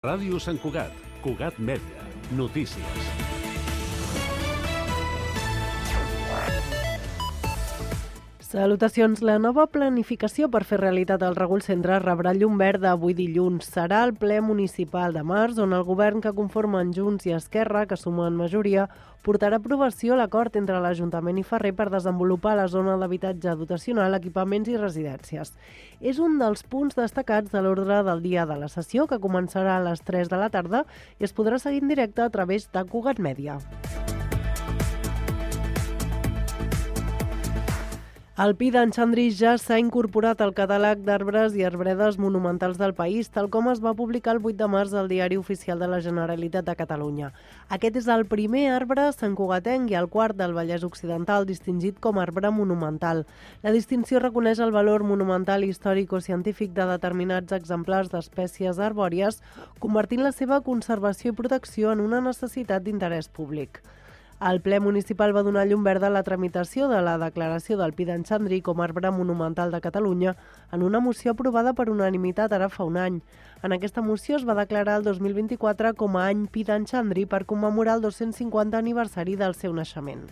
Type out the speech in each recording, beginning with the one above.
Ràdio Sant Cugat, Cugat Mèdia, notícies. Salutacions. La nova planificació per fer realitat el Regull Centre rebrà llum verda avui dilluns. Serà el ple municipal de març on el govern que conformen Junts i Esquerra, que sumen majoria, portarà a aprovació l'acord entre l'Ajuntament i Ferrer per desenvolupar la zona d'habitatge dotacional, equipaments i residències. És un dels punts destacats de l'ordre del dia de la sessió, que començarà a les 3 de la tarda i es podrà seguir en directe a través de Cugat Mèdia. El Pi d'en Xandri ja s'ha incorporat al catàleg d'arbres i arbredes monumentals del país, tal com es va publicar el 8 de març al Diari Oficial de la Generalitat de Catalunya. Aquest és el primer arbre santcugatenc i el quart del Vallès Occidental distingit com a arbre monumental. La distinció reconeix el valor monumental històrico-científic de determinats exemplars d'espècies arbòries, convertint la seva conservació i protecció en una necessitat d'interès públic. El ple municipal va donar llum verda a la tramitació de la declaració del Pi d'en Xandri com a arbre monumental de Catalunya en una moció aprovada per unanimitat ara fa un any. En aquesta moció es va declarar el 2024 com a any Pi d'en Xandri per commemorar el 250 aniversari del seu naixement.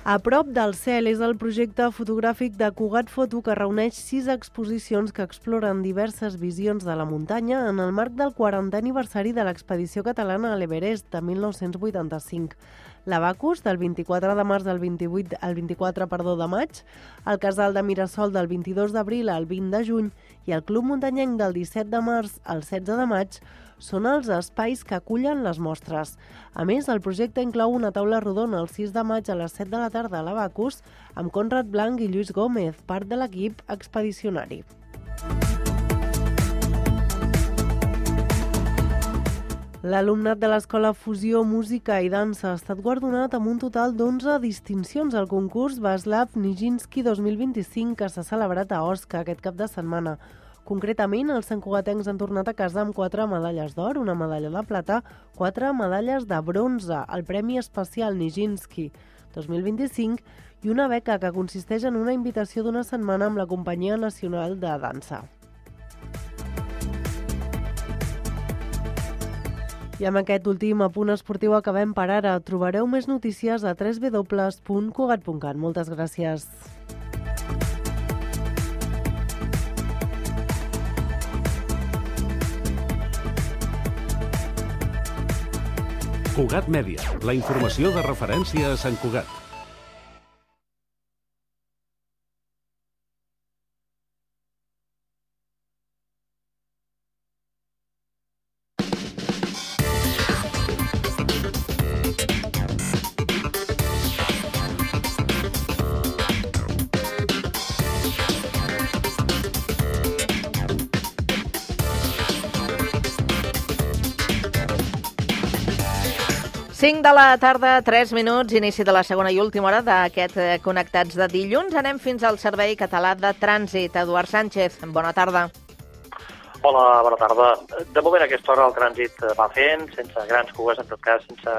A prop del cel és el projecte fotogràfic de Cugat Foto, que reuneix 6 exposicions que exploren diverses visions de la muntanya en el marc del 40è aniversari de l'expedició catalana a l'Everest de 1985. L'Abacus, del 24 de març al 24 de maig, el Casal de Mirasol del 22 d'abril al 20 de juny i el Club Muntanyenc del 17 de març al 16 de maig són els espais que acullen les mostres. A més, el projecte inclou una taula rodona el 6 de maig a les 7 de la tarda a l'Abacus amb Conrad Blanc i Lluís Gómez, part de l'equip expedicionari. L'alumnat de l'Escola Fusió, Música i Dansa ha estat guardonat amb un total d'11 distincions al concurs Vaslav Nijinsky 2025 que s'ha celebrat a Osca aquest cap de setmana. Concretament, els santcugatencs han tornat a casa amb 4 medalles d'or, una medalla de plata, 4 medalles de bronze, el Premi Especial Nijinsky 2025 i una beca que consisteix en una invitació d'una setmana amb la Companyia Nacional de Dansa. I amb aquest últim apunt esportiu acabem per ara. Trobareu més notícies a www.cugat.cat. Moltes gràcies. Cugat Mèdia, la informació de referència a Sant Cugat. Cinc de la tarda, 3 minuts, inici de la segona i última hora d'aquest Connectats de dilluns. Anem fins al Servei Català de Trànsit. Eduard Sánchez, bona tarda. Hola, bona tarda. De moment a aquesta hora el trànsit va fent, sense grans cues, en tot cas, sense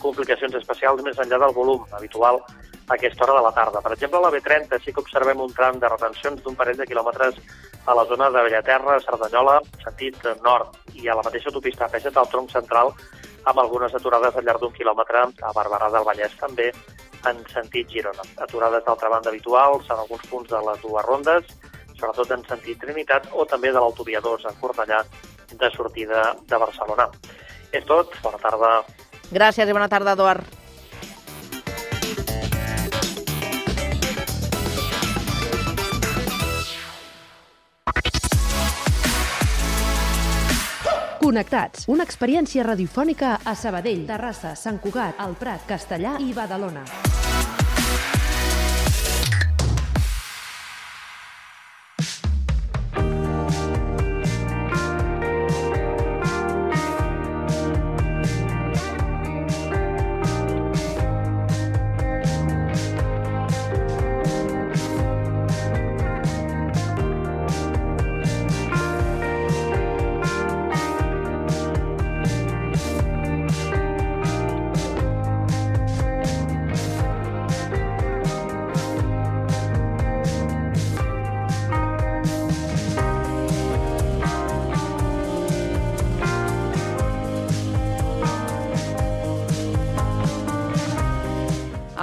complicacions especials, més enllà del volum habitual a aquesta hora de la tarda. Per exemple, a la B30 sí que observem un tram de retencions d'un parell de quilòmetres a la zona de Bellaterra, Cerdanyola, sentit nord, i a la mateixa autopista A7 al tronc central, amb algunes aturades al llarg d'un quilòmetre a Barberà del Vallès, també en sentit Girona. Aturades d'altra banda habituals en alguns punts de les dues rondes, sobretot en sentit Trinitat, o també de l'autovia 2 en Cornellà, de sortida de Barcelona. És tot, bona tarda. Gràcies i bona tarda, Eduard. Connectats, una experiència radiofònica a Sabadell, Terrassa, Sant Cugat, El Prat, Castellar i Badalona.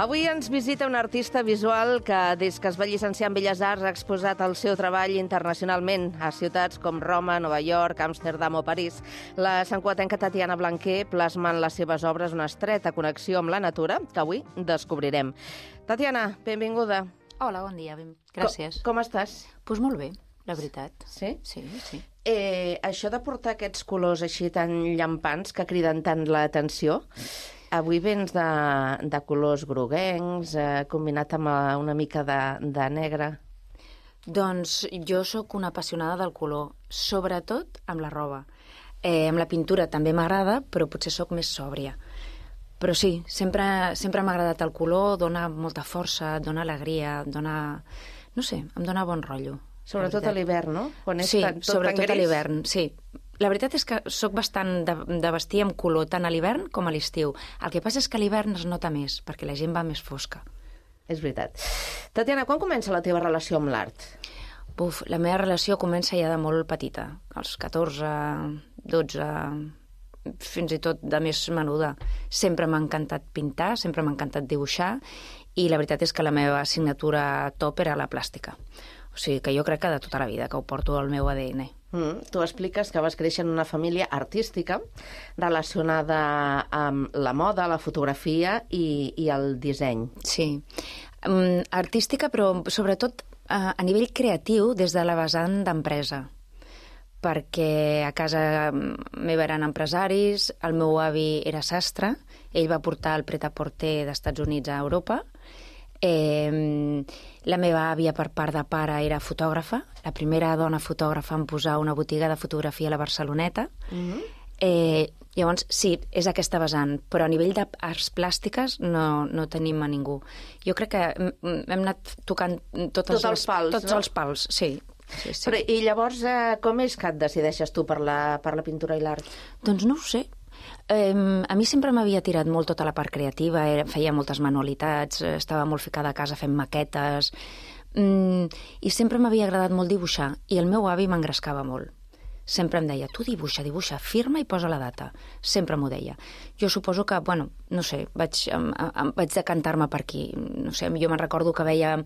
Avui ens visita un artista visual que, des que es va llicenciar en Belles Arts, ha exposat el seu treball internacionalment a ciutats com Roma, Nova York, Amsterdam o París. La santcugatenca Tatiana Blanquer plasma en les seves obres una estreta connexió amb la natura que avui descobrirem. Tatiana, benvinguda. Hola, bon dia. Gràcies. Com estàs? Doncs molt bé, la veritat. Sí? Sí. Això de portar aquests colors així tan llampants que criden tant l'atenció, avui vens de colors groguencs, combinat amb una mica de negre. Doncs jo sóc una apassionada del color, sobretot amb la roba. Amb la pintura també m'agrada, però potser sóc més sòbria. Però sí, sempre m'ha agradat el color, dona molta força, dona alegria, no sé, em dona bon rotllo. Sobretot a l'hivern, no? Sí, sobretot a l'hivern, sí. La veritat és que sóc bastant de vestir amb color tant a l'hivern com a l'estiu. El que passa és que a l'hivern es nota més, perquè la gent va més fosca. És veritat. Tatiana, quan comença la teva relació amb l'art? La meva relació comença ja de molt petita, als 14, 12, fins i tot de més menuda. Sempre m'ha encantat pintar, sempre m'ha encantat dibuixar, i la veritat és que la meva assignatura top era la plàstica. O sigui que jo crec que de tota la vida, que ho porto al meu ADN. Tu expliques que vas créixer en una família artística relacionada amb la moda, la fotografia i el disseny. Sí, artística, però sobretot a nivell creatiu des de la vessant d'empresa, perquè a casa meva eren empresaris, el meu avi era sastre, ell va portar el pret-a-porter d'Estats Units a Europa. La meva àvia per part de pare era fotògrafa, la primera dona fotògrafa en posar una botiga de fotografia a la Barceloneta. Llavors, sí, és aquesta vessant, però a nivell d'arts plàstiques no tenim a ningú. Jo crec que hem anat tocant tots els pals, sí. Però, i llavors, com és que et decideixes tu per la pintura i l'art? Doncs no ho sé. A mi sempre m'havia tirat molt tota la part creativa, feia moltes manualitats, estava molt ficada a casa fent maquetes, i sempre m'havia agradat molt dibuixar, i el meu avi m'engrescava molt. Sempre em deia, tu dibuixa, firma i posa la data. Sempre m'ho deia. Jo suposo que, no sé, vaig decantar-me per aquí. No sé, jo me'n recordo que veia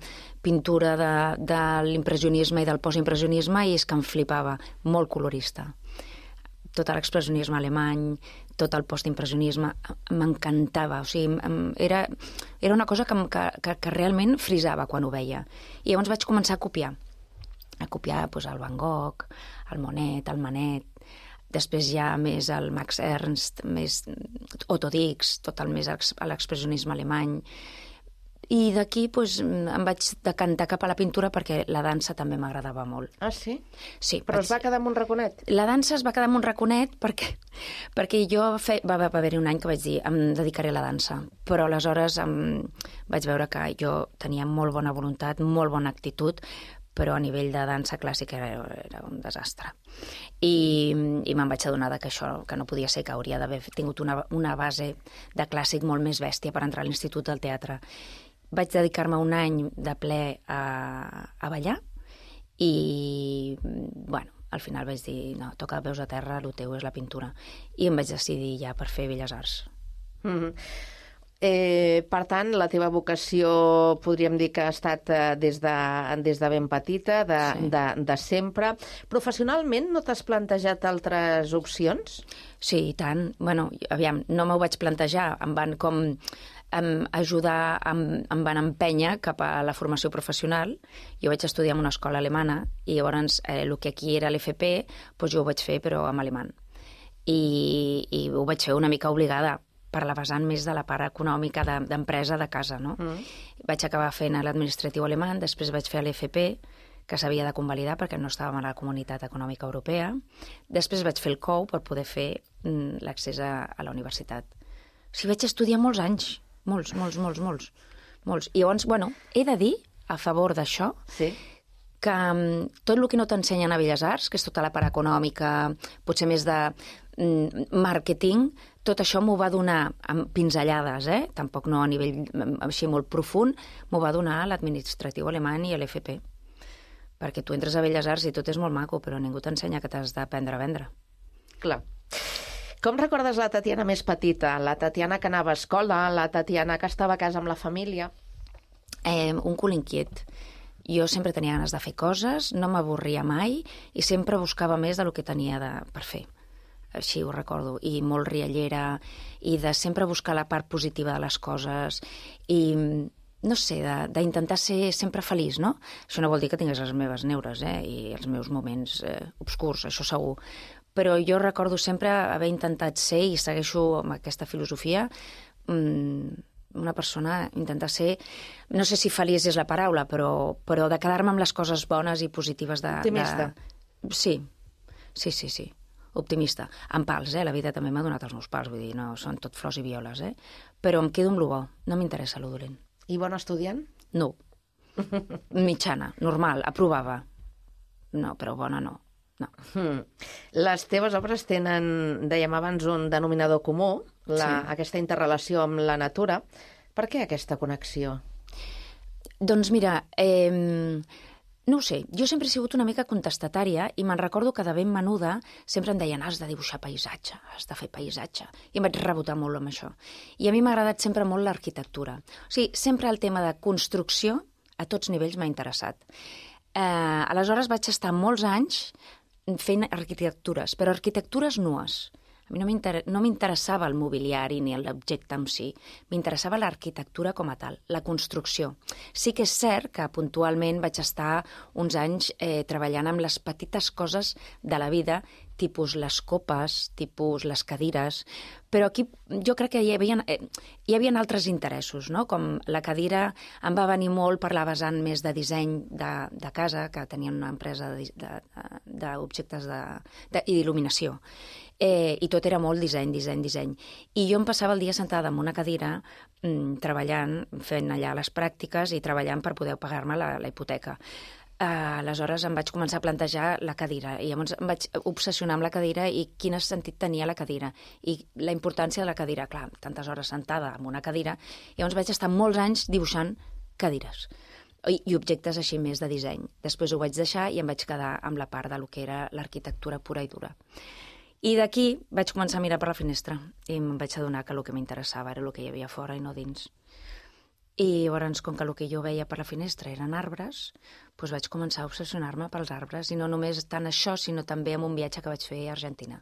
pintura de l'impressionisme i del postimpressionisme i és que em flipava, molt colorista. Tot l'expressionisme alemany, tot el postimpressionisme, m'encantava. O sigui, era una cosa que realment frisava quan ho veia. I llavors vaig començar a copiar el Van Gogh, el Monet, el Manet, després ja més el Max Ernst, més Otto Dix, tot el més a l'expressionisme alemany. I d'aquí em vaig decantar cap a la pintura perquè la dansa també m'agradava molt. Ah, sí? Sí. Però es va quedar amb un raconet? La dansa es va quedar amb un raconet perquè jo va haver-hi un any que vaig dir em dedicaré a la dansa, però aleshores vaig veure que jo tenia molt bona voluntat, molt bona actitud, però a nivell de dansa clàssica era un desastre. I me'n vaig adonar que això que no podia ser, que hauria d'haver tingut una base de clàssic molt més bèstia per entrar a l'Institut del Teatre. Vaig dedicar-me un any de ple a ballar i, al final vaig dir, no, toca peus a terra, el teu és la pintura. I em vaig decidir ja per fer Belles Arts. Per tant, la teva vocació podríem dir que ha estat des de ben petita, de sempre. Professionalment no t'has plantejat altres opcions? Sí, i tant. Aviam, no m'ho vaig plantejar, em van com ajudar, em van empènyer cap a la formació professional. Jo vaig estudiar en una escola alemana i llavors el que aquí era l'FP, jo ho vaig fer però en alemany. I ho vaig fer una mica obligada, per la vessant més de la part econòmica d'empresa de casa, no? Vaig acabar fent l'administratiu alemany, després vaig fer l'FP, que s'havia de convalidar perquè no estàvem a la Comunitat Econòmica Europea. Després vaig fer el COU per poder fer l'accés a la universitat. O sigui, vaig estudiar molts anys, molts. I llavors, he de dir, a favor d'això, que tot el que no t'ensenyen a Belles Arts, que és tota la part econòmica, potser més de màrqueting, tot això m'ho va donar amb pinzellades, tampoc no a nivell així molt profund, m'ho va donar l'administratiu alemany i l'FP. Perquè tu entres a Belles Arts i tot és molt maco, però ningú t'ensenya que t'has d'aprendre a vendre. Clar. Com recordes la Tatiana més petita? La Tatiana que anava a escola, la Tatiana que estava a casa amb la família? Un cul inquiet. Jo sempre tenia ganes de fer coses, no m'avorria mai i sempre buscava més del que tenia per fer. Així ho recordo. I molt riallera, i de sempre buscar la part positiva de les coses, i no sé, d'intentar ser sempre feliç, no? Això no vol dir que tingués les meves neures, i els meus moments obscurs, això segur. Però jo recordo sempre haver intentat ser, i segueixo amb aquesta filosofia, una persona, intentar ser, no sé si feliç és la paraula, però de quedar-me amb les coses bones i positives de... Optimista. Sí, optimista. Amb pals, la vida també m'ha donat els meus pals, vull dir, no són tot flors i violes, però em quedo amb lo bo, no m'interessa lo dolent. I bon estudiant? No. Mitjana, normal, aprovava. No, però bona no. No. Les teves obres tenen, dèiem abans, un denominador comú, aquesta interrelació amb la natura. Per què aquesta connexió? Doncs mira, no ho sé, jo sempre he sigut una mica contestatària i me'n recordo que de ben menuda sempre em deien has de dibuixar paisatge, has de fer paisatge. I em vaig rebotar molt amb això. I a mi m'ha agradat sempre molt l'arquitectura. O sigui, sempre el tema de construcció a tots nivells m'ha interessat. Aleshores vaig estar molts anys fent arquitectures, però arquitectures nues. A mi no m'interessava el mobiliari ni l'objecte en si, m'interessava l'arquitectura com a tal, la construcció. Sí que és cert que puntualment vaig estar uns anys treballant amb les petites coses de la vida, tipus les copes, tipus les cadires, però aquí jo crec que hi havia altres interessos, no? Com la cadira em va venir molt per la vessant més de disseny de casa, que tenien una empresa d'objectes i d'il·luminació. I tot era molt disseny. I jo em passava el dia sentada en una cadira treballant, fent allà les pràctiques i treballant per poder pagar-me la hipoteca. Aleshores em vaig començar a plantejar la cadira i llavors em vaig obsessionar amb la cadira i quin sentit tenia la cadira i la importància de la cadira. Clar, tantes hores sentada en una cadira, llavors vaig estar molts anys dibuixant cadires i objectes així més de disseny. Després ho vaig deixar i em vaig quedar amb la part del que era l'arquitectura pura i dura. I d'aquí vaig començar a mirar per la finestra i em vaig adonar que el que m'interessava era el que hi havia fora i no dins. I llavors, com que el que jo veia per la finestra eren arbres, doncs vaig començar a obsessionar-me pels arbres, i no només tant això, sinó també amb un viatge que vaig fer a Argentina,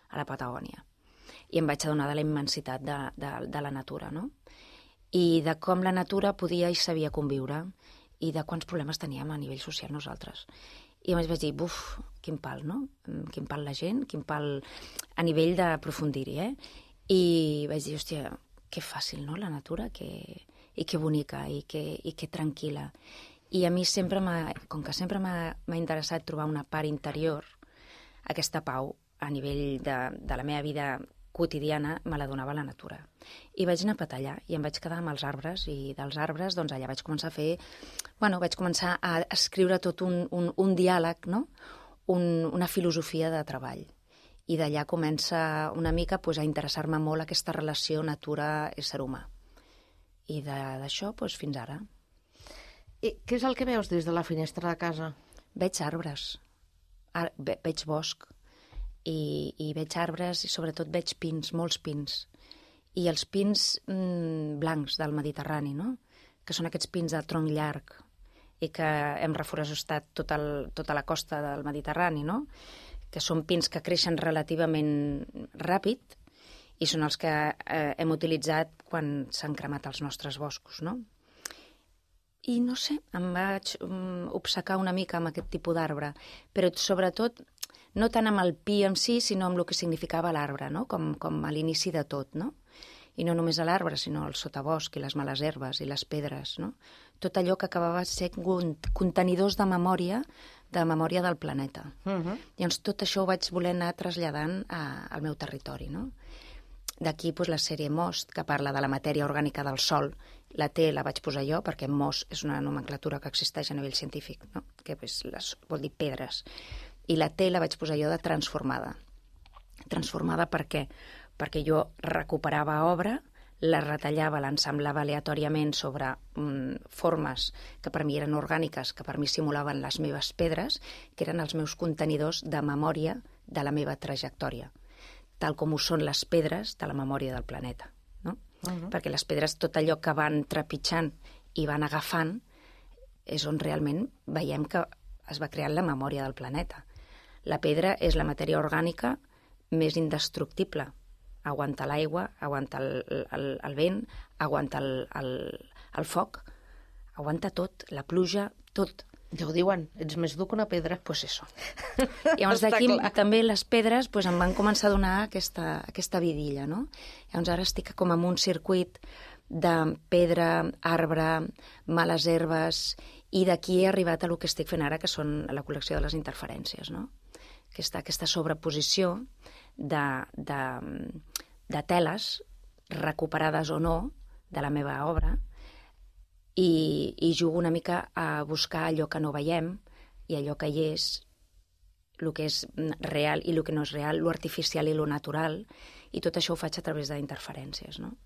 a la Patagònia. I em vaig adonar de la immensitat de la natura, no? I de com la natura podia i sabia conviure, i de quants problemes teníem a nivell social nosaltres. I llavors vaig dir, buf, quin pal, no? Quin pal la gent, quin pal a nivell d'aprofundir-hi, I vaig dir, hòstia, que fàcil, no?, la natura, i que bonica, i que tranquil·la. I a mi sempre com que sempre m'ha interessat trobar una part interior, aquesta pau a nivell de la meva vida quotidiana me la donava la natura. I vaig anar a patallar i em vaig quedar amb els arbres, i dels arbres doncs allà vaig començar a fer, vaig començar a escriure tot un diàleg, no?, una filosofia de treball. I d'allà comença una mica a interessar-me molt aquesta relació natura-ésser humà. I d'això fins ara. I què és el que veus des de la finestra de casa? Veig arbres, veig bosc, i veig arbres i sobretot veig pins, molts pins. I els pins blancs del Mediterrani, no?, que són aquests pins de tronc llarg i que hem reforestat tota la costa del Mediterrani, no?, que són pins que creixen relativament ràpid i són els que hem utilitzat quan s'han cremat els nostres boscos, no? I no sé, em vaig obcecar una mica amb aquest tipus d'arbre, però sobretot no tant amb el pi en si, sinó amb el que significava l'arbre, no?, com a l'inici de tot, no? I no només a l'arbre, sinó al sotabosc i les males herbes i les pedres, no? Tot allò que acabava sent contenidors de memòria del planeta. Llavors tot això ho vaig voler anar traslladant al meu territori, no? D'aquí la sèrie MOST, que parla de la matèria orgànica del sòl. La T la vaig posar jo, perquè MOS és una nomenclatura que existeix a nivell científic, no?, que vol dir pedres. I la T la vaig posar jo de transformada. Transformada per què? Perquè jo recuperava obra, la retallava, l'ensamblava aleatòriament sobre formes que per mi eren orgàniques, que per mi simulaven les meves pedres, que eren els meus contenidors de memòria de la meva trajectòria. tal com ho són les pedres de la memòria del planeta, no? Perquè les pedres, tot allò que van trepitjant i van agafant, és on realment veiem que es va crear la memòria del planeta. La pedra és la matèria orgànica més indestructible. Aguanta l'aigua, aguanta el vent, aguanta el foc, aguanta tot, la pluja, tot. Ja ho diuen, ets més dur que una pedra. Pues això. Llavors d'aquí també les pedres em van començar a donar aquesta vidilla, no? Llavors ara estic com en un circuit de pedra, arbre, males herbes, i d'aquí he arribat a lo que estic fent ara, que són la col·lecció de les interferències, no? Aquesta sobreposició de teles recuperades o no de la meva obra, i jugo una mica a buscar allò que no veiem i allò que hi és, el que és real i el que no és real, lo artificial i lo natural, i tot això ho faig a través d'interferències, no?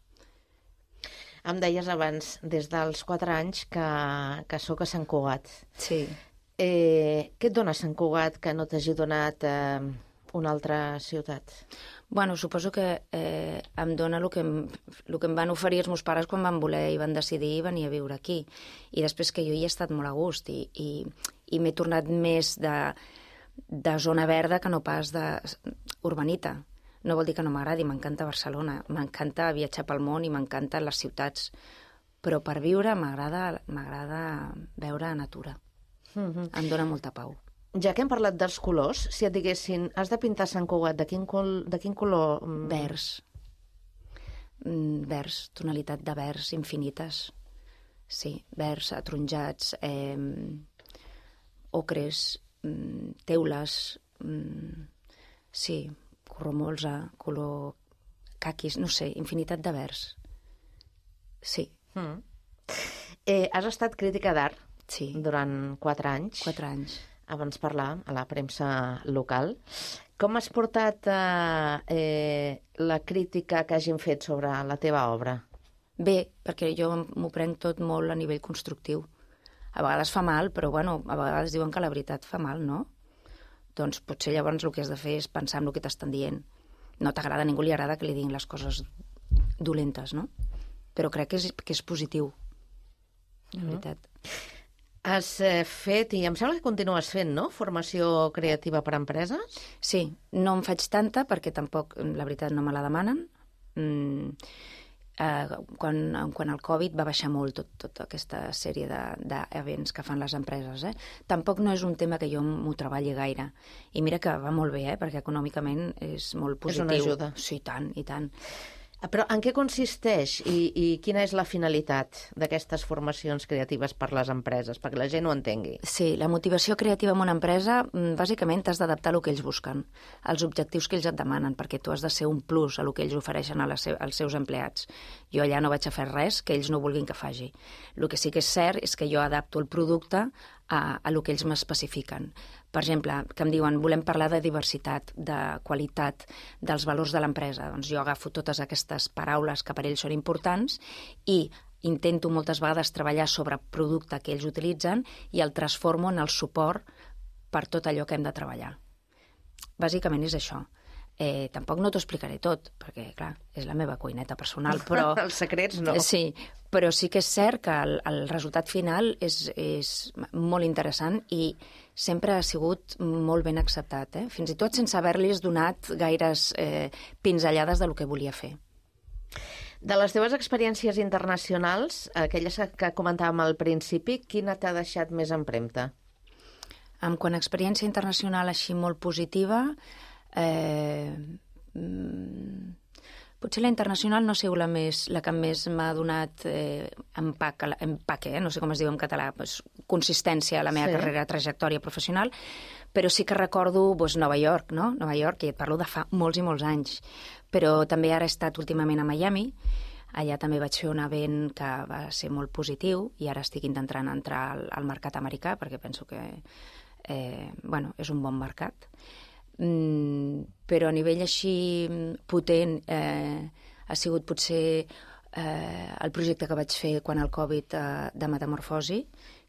Em deies abans, des dels 4 anys, que sóc a Sant Cugat. Sí. Què et dona Sant Cugat que no t'hagi donat una altra ciutat? Bueno, suposo que em dona el que em van oferir els meus pares quan van voler i van decidir venir a viure aquí. I després que jo hi he estat molt a gust i m'he tornat més de zona verda que no pas d'urbanita. No vol dir que no m'agradi, m'encanta Barcelona, m'encanta viatjar pel món i m'encanten les ciutats, però per viure m'agrada veure natura. Em dona molta pau. Ja que hem parlat dels colors, si et diguessin, has de pintar Sant Cugat, de quin color? Verds. Verds, tonalitat de verds infinites. Sí, verds, ataronjats, ocres, teules, sí, color molsa, color caquis, no sé, infinitat de verds. Sí. Has estat crítica d'art durant 4 anys. 4 anys. Abans parlar a la premsa local. Com has portat la crítica que hagin fet sobre la teva obra? Bé, perquè jo m'ho prenc tot molt a nivell constructiu. A vegades fa mal, però bueno, a vegades diuen que la veritat fa mal, no? Doncs potser llavors el que has de fer és pensar en el que t'estan dient. No t'agrada, a ningú li agrada que li diguin les coses dolentes, no? Però crec que és positiu, la veritat. Has fet, i em sembla que continues fent, no?, formació creativa per a empreses? Sí, no en faig tanta perquè tampoc, la veritat, no me la demanen. Quan el Covid va baixar molt tota aquesta sèrie d'events que fan les empreses. Tampoc no és un tema que jo m'ho treballi gaire. I mira que va molt bé, perquè econòmicament és molt positiu. És una ajuda. Sí, i tant. Però en què consisteix i quina és la finalitat d'aquestes formacions creatives per les empreses, perquè la gent ho entengui? Sí, la motivació creativa en una empresa, bàsicament t'has d'adaptar a el que ells busquen, als objectius que ells et demanen, perquè tu has de ser un plus a el que ells ofereixen als seus empleats. Jo allà no vaig a fer res que ells no vulguin que faci. El que sí que és cert és que jo adapto el producte a el que ells m'especifiquen. Per exemple, que em diuen, volem parlar de diversitat, de qualitat, dels valors de l'empresa. Doncs jo agafo totes aquestes paraules que per ells són importants i intento moltes vegades treballar sobre el producte que ells utilitzen i el transformo en el suport per tot allò que hem de treballar. Bàsicament és això. Tampoc no t'ho explicaré tot, perquè, clar, és la meva cuineta personal, però... Els secrets no. Sí, però sí que és cert que el resultat final és molt interessant i sempre ha sigut molt ben acceptat, fins i tot sense haver-los donat gaires pinzellades del que volia fer. De les teves experiències internacionals, aquelles que comentàvem al principi, quina t'ha deixat més empremta? Quant a experiència internacional així molt positiva... potser la internacional no ha sigut la que més m'ha donat empaque, no sé com es diu en català, consistència a la meva carrera, trajectòria professional, però sí que recordo Nova York, no? Nova York, i et parlo de fa molts i molts anys, però també ara he estat últimament a Miami. Allà també vaig fer un event que va ser molt positiu i ara estic intentant entrar al mercat americà perquè penso que és un bon mercat. Però a nivell així potent ha sigut potser el projecte que vaig fer quan el Covid de Metamorfosi,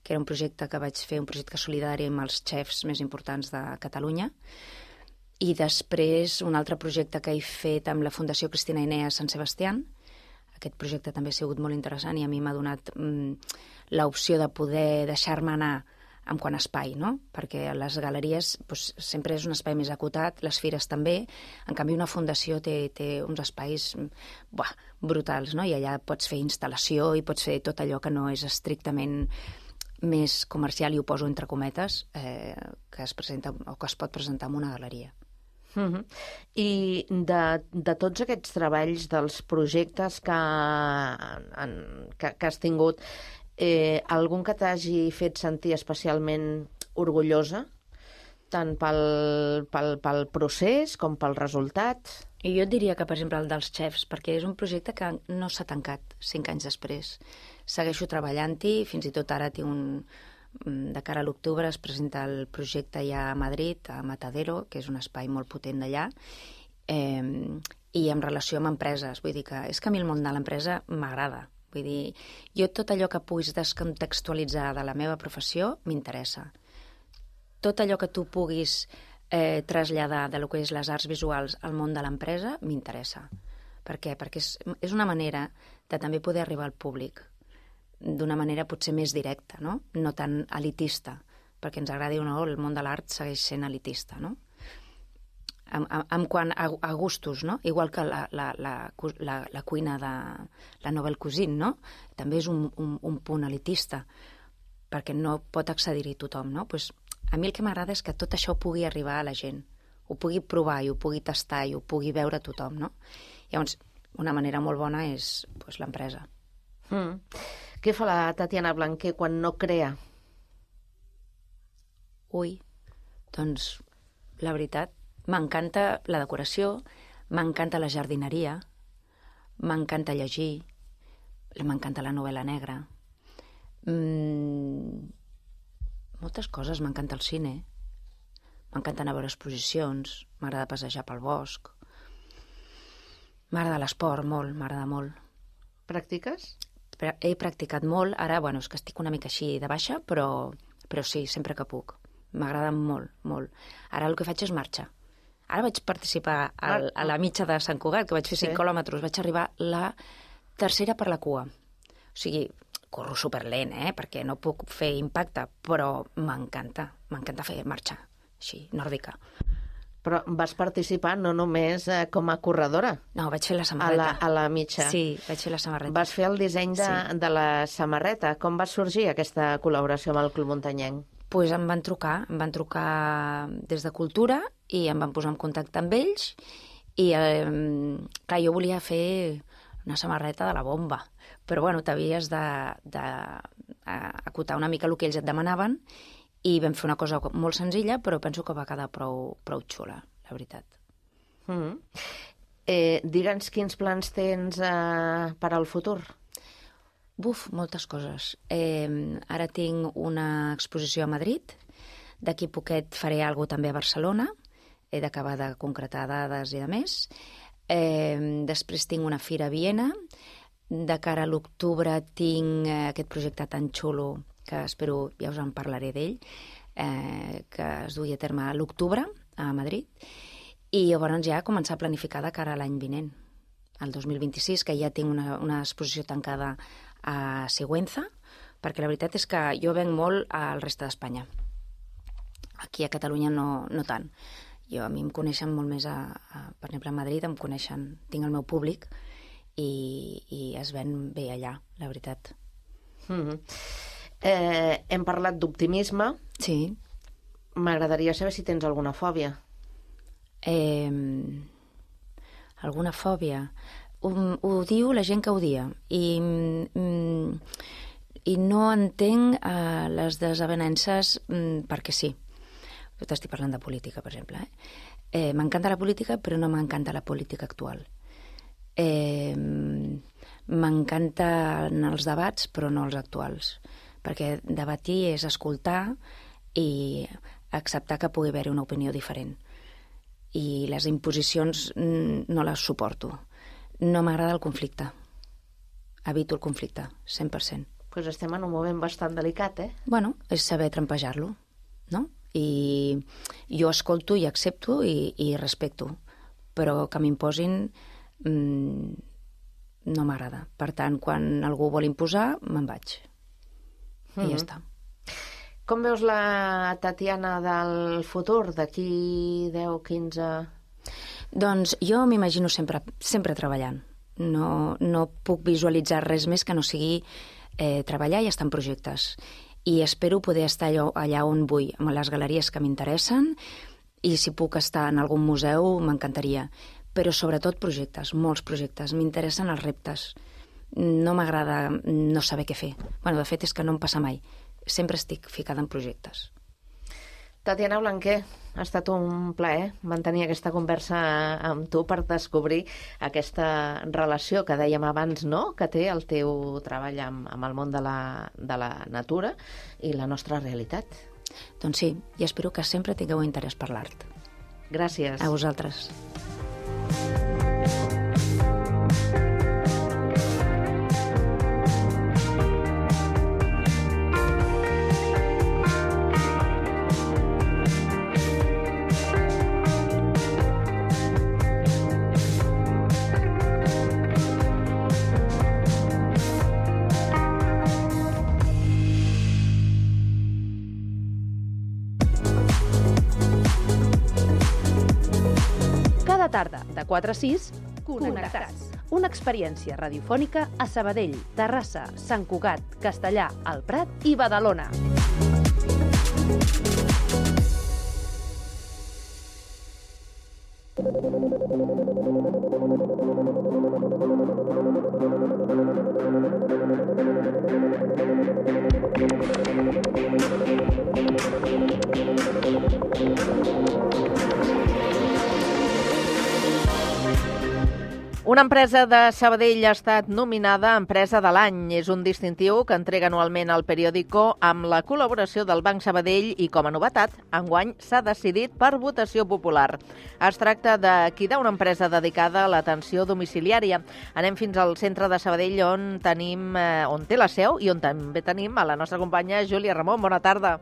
que era un projecte que vaig fer, un projecte solidari amb els xefs més importants de Catalunya, I després un altre projecte que he fet amb la Fundació Cristina Inea Sant Sebastián. Aquest projecte també ha sigut molt interessant i a mi m'ha donat l'opció de poder deixar-me anar en quant a espai, no? Perquè les galeries doncs, sempre és un espai més acotat, les fires també. En canvi, una fundació té uns espais brutals, no? I allà pots fer instal·lació i pots fer tot allò que no és estrictament més comercial, i ho poso entre cometes, que es presenta o que es pot presentar en una galeria. I de tots aquests treballs, dels projectes que has tingut, algun que t'hagi fet sentir especialment orgullosa, tant pel procés com pel resultat? I jo et diria que, per exemple, el dels xefs, perquè és un projecte que no s'ha tancat 5 anys després. Segueixo treballant-hi, fins i tot ara tinc de cara a l'octubre es presenta el projecte ja a Madrid, a Matadero, que és un espai molt potent d'allà, i en relació amb empreses. Vull dir que és que a mi el món de l'empresa m'agrada. Vull dir, jo tot allò que puguis descontextualitzar de la meva professió m'interessa. Tot allò que tu puguis traslladar de lo que és les arts visuals al món de l'empresa m'interessa. Per què? Perquè és una manera de també poder arribar al públic d'una manera potser més directa, no? No tan elitista, perquè ens agradi o no, el món de l'art segueix sent elitista, no? En quant a gustos, no? Igual que la cuina de la Nouvelle Cuisine, no? També és un punt elitista, perquè no pot accedir-hi tothom, no? Pues a mi el que m'agrada és que tot això pugui arribar a la gent, ho pugui provar i ho pugui tastar i ho pugui veure tothom, no? Llavors, una manera molt bona és l'empresa. Què fa la Tatiana Blanquer quan no crea? Doncs la veritat, m'encanta la decoració, m'encanta la jardineria, m'encanta llegir, m'encanta la novel·la negra, moltes coses, m'encanta el cine, m'encanta anar a veure exposicions, m'agrada passejar pel bosc, m'agrada l'esport molt, m'agrada molt. Practiques? He practicat molt, ara, és que estic una mica així de baixa, però sí, sempre que puc. M'agrada molt, molt. Ara el que faig és marxa. Ara vaig participar a la mitja de Sant Cugat, que vaig fer 5 quilòmetres, vaig arribar la tercera per la cua. O sigui, corro superlent, perquè no puc fer impacte, però m'encanta fer marxa, així, nòrdica. Però vas participar no només com a corredora. No, vaig fer la samarreta. A la mitja. Sí, vaig fer la samarreta. Vas fer el disseny de la samarreta. Com va sorgir aquesta col·laboració amb el Club Muntanyenc? Doncs em van trucar des de Cultura i em van posar en contacte amb ells i, clar, jo volia fer una samarreta de la bomba, però, t'havies d'acotar una mica el que ells et demanaven i vam fer una cosa molt senzilla, però penso que va quedar prou xula, la veritat. Digue'ns quins plans tens per al futur? Moltes coses. Ara tinc una exposició a Madrid, d'aquí poquet faré alguna cosa també a Barcelona, he d'acabar de concretar dades i de més. Després tinc una fira a Viena, de cara a l'octubre tinc aquest projecte tan xulo que espero, ja us en parlaré d'ell, que es dugui a terme a l'octubre a Madrid, i llavors ja començar a planificar de cara a l'any vinent, el 2026, que ja tinc una exposició tancada a Sigüenza, perquè la veritat és que jo venc molt al reste d'Espanya. Aquí a Catalunya no tant. A mi em coneixen molt més, per exemple, a Madrid em coneixen, tinc el meu públic i es ven bé allà, la veritat. Hem parlat d'optimisme. Sí. M'agradaria saber si tens alguna fòbia. Alguna fòbia? Ho diu la gent que ho dia i no entenc les desavenences perquè sí. Jo t'estic parlant de política, per exemple. M'encanta la política, però no m'encanta la política actual. M'encanten els debats, però no els actuals, perquè debatir és escoltar i acceptar que pugui haver-hi una opinió diferent. I les imposicions no les suporto. No m'agrada el conflicte. Evito el conflicte, 100%. Doncs estem en un moment bastant delicat, Bueno, és saber trampejar-lo, no? I jo escolto i accepto i respecto, però que m'imposin no m'agrada. Per tant, quan algú vol imposar, me'n vaig. I ja està. Com veus la Tatiana del futur, d'aquí 10, 15... Doncs jo m'imagino sempre treballant. No puc visualitzar res més que no sigui treballar i estar en projectes. I espero poder estar allà on vull, amb les galeries que m'interessen, i si puc estar en algun museu m'encantaria. Però sobretot projectes, molts projectes. M'interessen els reptes. No m'agrada no saber què fer. De fet, és que no em passa mai. Sempre estic ficada en projectes. Tatiana Blanquer, ha estat un plaer mantenir aquesta conversa amb tu per descobrir aquesta relació que dèiem abans, no?, que té el teu treball amb el món de la natura i la nostra realitat. Doncs sí, i espero que sempre tingueu interès per l'art. Gràcies. A vosaltres. Tarda, de 4 a 6, Connectats. Una experiència radiofònica a Sabadell, Terrassa, Sant Cugat, Castellà, el Prat i Badalona. Una empresa de Sabadell ha estat nominada Empresa de l'Any. És un distintiu que entrega anualment al periòdico amb la col·laboració del Banc Sabadell i, com a novetat, enguany s'ha decidit per votació popular. Es tracta de Quida, una empresa dedicada a l'atenció domiciliària. Anem fins al centre de Sabadell, on té la seu i on també tenim a la nostra companya Júlia Ramon. Bona tarda.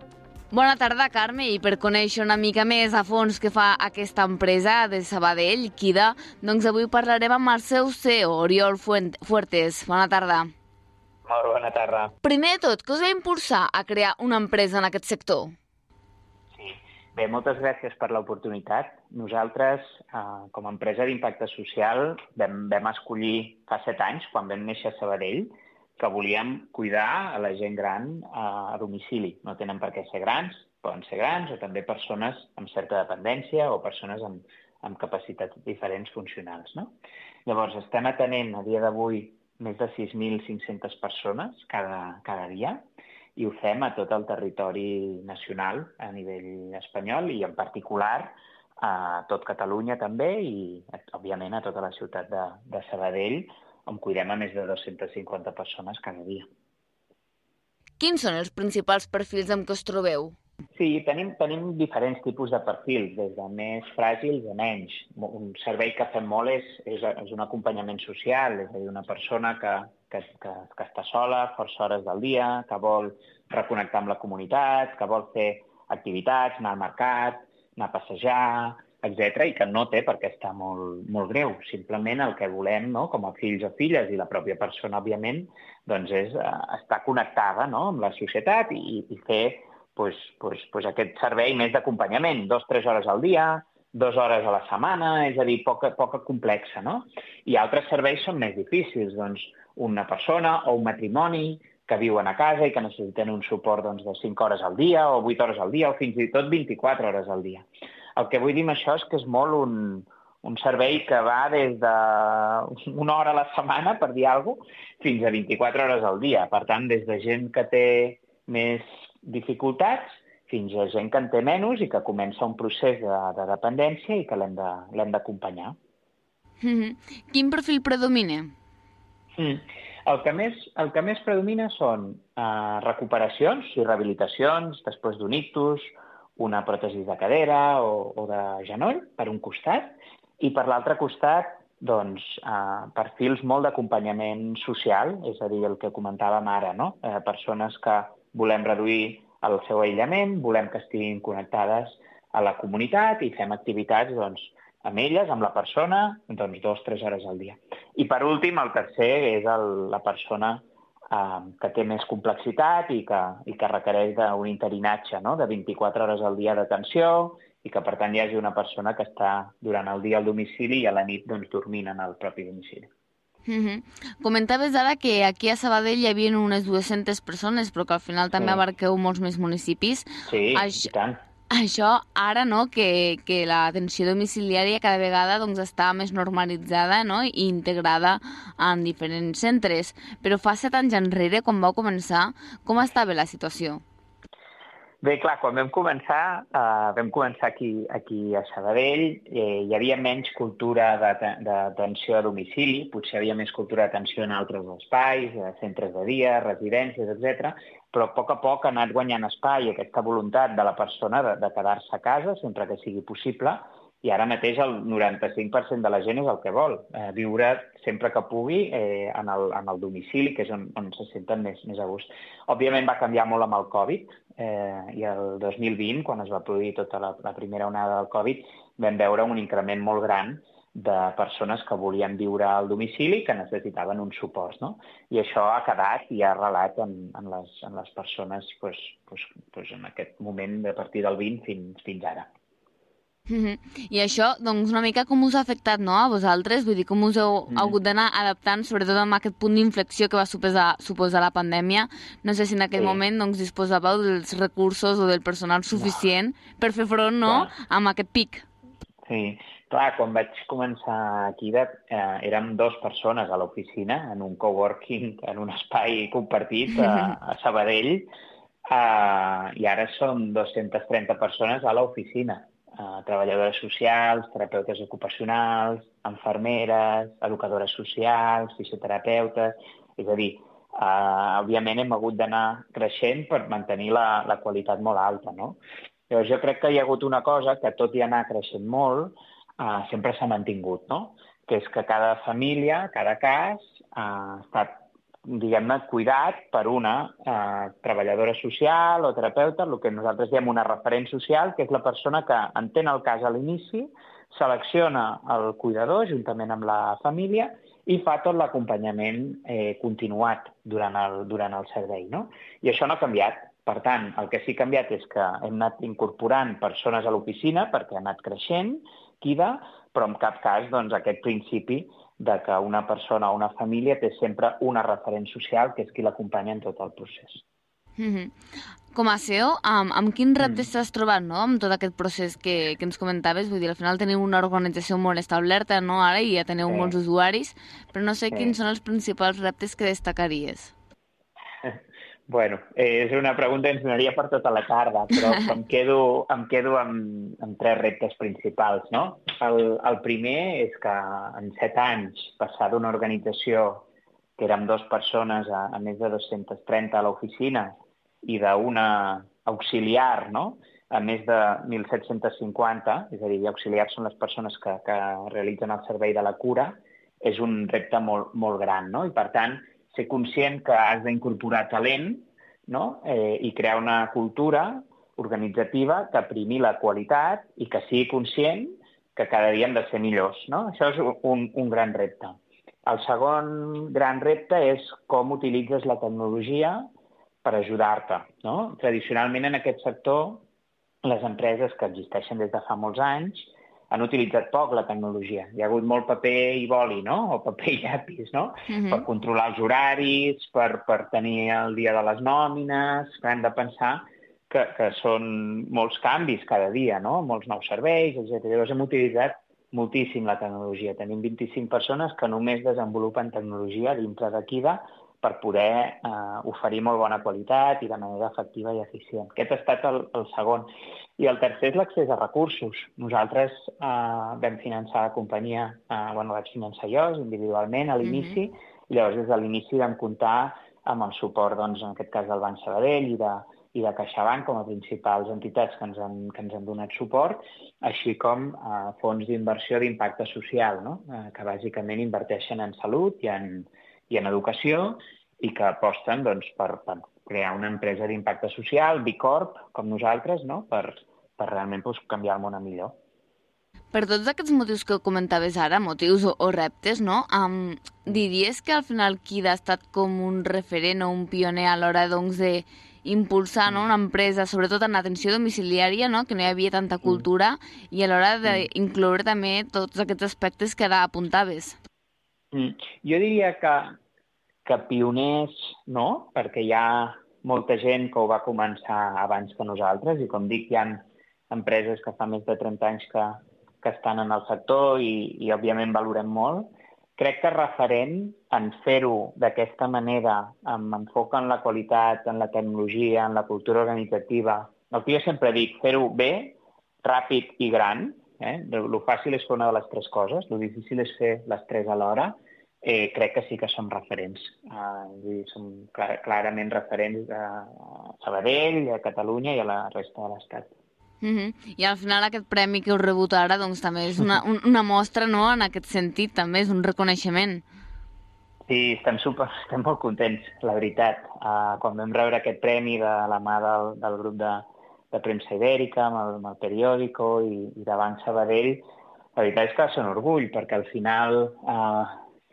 Bona tarda, Carme, i per conèixer una mica més a fons què fa aquesta empresa de Sabadell, Quida, doncs avui parlarem amb el seu CEO, Oriol Fuertes. Bona tarda. Molt bona tarda. Primer de tot, què us va impulsar a crear una empresa en aquest sector? Sí, bé, moltes gràcies per l'oportunitat. Nosaltres, com a empresa d'impacte social, vam escollir fa 7 anys, quan vam néixer a Sabadell, que volíem cuidar a la gent gran a domicili. No tenen per què ser grans, poden ser grans, o també persones amb certa dependència o persones amb capacitats diferents funcionals, no? Llavors, estem atenent a dia d'avui més de 6.500 persones cada dia i ho fem a tot el territori nacional a nivell espanyol i en particular a tot Catalunya també i, òbviament, a tota la ciutat de Sabadell, on cuidem a més de 250 persones cada dia. Quins són els principals perfils amb què us trobeu? Sí, tenim diferents tipus de perfils, des de més fràgils a menys. Un servei que fem molt és un acompanyament social, és a dir, una persona que està sola força hores del dia, que vol reconnectar amb la comunitat, que vol fer activitats, anar al mercat, anar a passejar, etc., i que no té per què estar molt greu. Simplement el que volem, no?, com a fills o filles, i la pròpia persona, òbviament, doncs és estar connectada, no?, amb la societat i fer aquest servei més d'acompanyament, 2-3 hores al dia, 2 hores a la setmana, és a dir, poca complexa, no? I altres serveis són més difícils, doncs una persona o un matrimoni que viuen a casa i que necessiten un suport de 5 hores al dia o 8 hores al dia o fins i tot 24 hores al dia. El que vull dir amb això és que és molt un servei que va des d'1 hora a la setmana, per dir alguna cosa, fins a 24 hores al dia. Per tant, des de gent que té més dificultats fins a gent que en té menys i que comença un procés de dependència i que l'hem d'acompanyar. Quin perfil predomina? El que més predomina són recuperacions i rehabilitacions després d'un ictus, una pròtesi de cadera o de genoll, per un costat, i per l'altre costat, doncs, perfils molt d'acompanyament social, és a dir, el que comentàvem ara, no? Persones que volem reduir el seu aïllament, volem que estiguin connectades a la comunitat i fem activitats amb elles, amb la persona, 2-3 hores al dia. I per últim, el tercer és la persona que té més complexitat i que requereix d'un interinatge, no? De 24 hores al dia d'atenció i que, per tant, hi hagi una persona que està durant el dia al domicili i a la nit dormint en el propi domicili. Comentaves ara que aquí a Sabadell hi havia unes 200 persones, però que al final també abarqueu molts més municipis. Sí, i tant. Això ara, no?, que l'atenció domiciliària cada vegada està més normalitzada, no?, i integrada en diferents centres. Però fa 7 anys enrere, quan vau començar, com estava la situació? Bé, clar, quan vam començar aquí a Sabadell, hi havia menys cultura d'atenció a domicili, potser hi havia més cultura d'atenció en altres espais, centres de dia, residències, etc. Però a poc ha anat guanyant espai aquesta voluntat de la persona de quedar-se a casa sempre que sigui possible, i ara mateix el 95% de la gent és el que vol, viure sempre que pugui en el domicili, que és on se senten més a gust. Òbviament va canviar molt amb el Covid, i el 2020, quan es va produir tota la primera onada del Covid, vam veure un increment molt gran de persones que volien viure al domicili i que necessitaven un suport, no? I això ha quedat i ha arrelat en les persones en aquest moment, a partir del 20 fins ara. I això, doncs, una mica com us ha afectat, no?, a vosaltres? Vull dir, com us heu hagut d'anar adaptant, sobretot amb aquest punt d'inflexió que va suposar la pandèmia. No sé si en aquell moment disposàveu dels recursos o del personal suficient per fer front, no?, amb aquest pic. Sí, clar, quan vaig començar aquí érem 2 persones a l'oficina, en un coworking, en un espai compartit a Sabadell, i ara som 230 persones a l'oficina. Treballadores socials, terapeutes ocupacionals, infermeres, educadores socials, fisioterapeutes. És a dir, òbviament hem hagut d'anar creixent per mantenir la qualitat molt alta, no? Llavors jo crec que hi ha hagut una cosa que, tot i anar creixent molt, sempre s'ha mantingut, no? Que és que cada família, cada cas, ha estat, diguem-ne, cuidat per una treballadora social o terapeuta, el que nosaltres diem una referent social, que és la persona que entén el cas a l'inici, selecciona el cuidador juntament amb la família i fa tot l'acompanyament continuat durant el servei, no? I això no ha canviat. Per tant, el que sí que ha canviat és que hem anat incorporant persones a l'oficina perquè ha anat creixent, però en cap cas aquest principi de que una persona o una família té sempre una referent social que és qui l'acompanya en tot el procés. Com a CEO, amb quins reptes t'has trobat, no?, amb tot aquest procés que ens comentaves? Vull dir, al final teniu una organització molt establerta, no?, ara, i ja teniu molts usuaris, però no sé quins són els principals reptes que destacaries. Bueno, és una pregunta que ens donaria per tota la tarda, però em quedo amb 3 reptes principals, no? El primer és que en 7 anys passar d'una organització que érem 2 persones a més de 230 a l'oficina i d'una auxiliar, no?, a més de 1.750, és a dir, auxiliars són les persones que realitzen el servei de la cura, és un repte molt, molt gran, no? I per tant, ser conscient que has d'incorporar talent, no?, i crear una cultura organitzativa que primi la qualitat i que sigui conscient que cada dia hem de ser millors, no? Això és un gran repte. El segon gran repte és com utilitzes la tecnologia per ajudar-te, no? Tradicionalment en aquest sector, les empreses que existeixen des de fa molts anys han utilitzat poc la tecnologia. Hi ha hagut molt paper i boli, no?, o paper i llapis, no?, per controlar els horaris, per tenir el dia de les nòmines, que hem de pensar que són molts canvis cada dia, no?, molts nous serveis, etc. Llavors hem utilitzat moltíssim la tecnologia. Tenim 25 persones que només desenvolupen tecnologia dintre d'Akida per poder oferir molt bona qualitat i de manera efectiva i eficient. Aquest ha estat el segon. I el tercer és l'accés a recursos. Nosaltres vam finançar la companyia, vaig finançar jo individualment a l'inici, i llavors des de l'inici vam comptar amb el suport, en aquest cas, del Banc Sabadell i de CaixaBank com a principals entitats que ens han donat suport, així com fons d'inversió d'impacte social, no?, que bàsicament inverteixen en salut i en educació i que aposten per crear una empresa d'impacte social, B Corp, com nosaltres, no? per realment canviar el món a millor. Per tots aquests motius que comentaves ara, motius o reptes, no? Diries que al final Kida ha estat com un referent o un pioner a l'hora d'impulsar una empresa, sobretot en l'atenció domiciliària, no? Que no hi havia tanta cultura, i a l'hora d'incloure també tots aquests aspectes que ara apuntaves. Jo diria que pioners no, perquè hi ha molta gent que ho va començar abans que nosaltres, i com dic, hi ha empreses que fa més de 30 anys que estan en el sector i òbviament valorem molt. Crec que referent en fer-ho d'aquesta manera, amb enfoc en la qualitat, en la tecnologia, en la cultura organitzativa, el que jo sempre dic, fer-ho bé, ràpid i gran, lo fàcil és fer una de les tres coses, lo difícil és fer les tres alhora, crec que sí que som referents. Som clarament referents a Sabadell, a Catalunya i a la resta de l'Estat. I al final aquest premi que heu rebut ara doncs, també és una mostra, no?, en aquest sentit, també és un reconeixement. Sí, estem molt contents, la veritat. Quan vam rebre aquest premi de la mà del grup de premsa ibèrica, amb el periòdico i de Banc Sabadell, la veritat és que va ser un orgull, perquè al final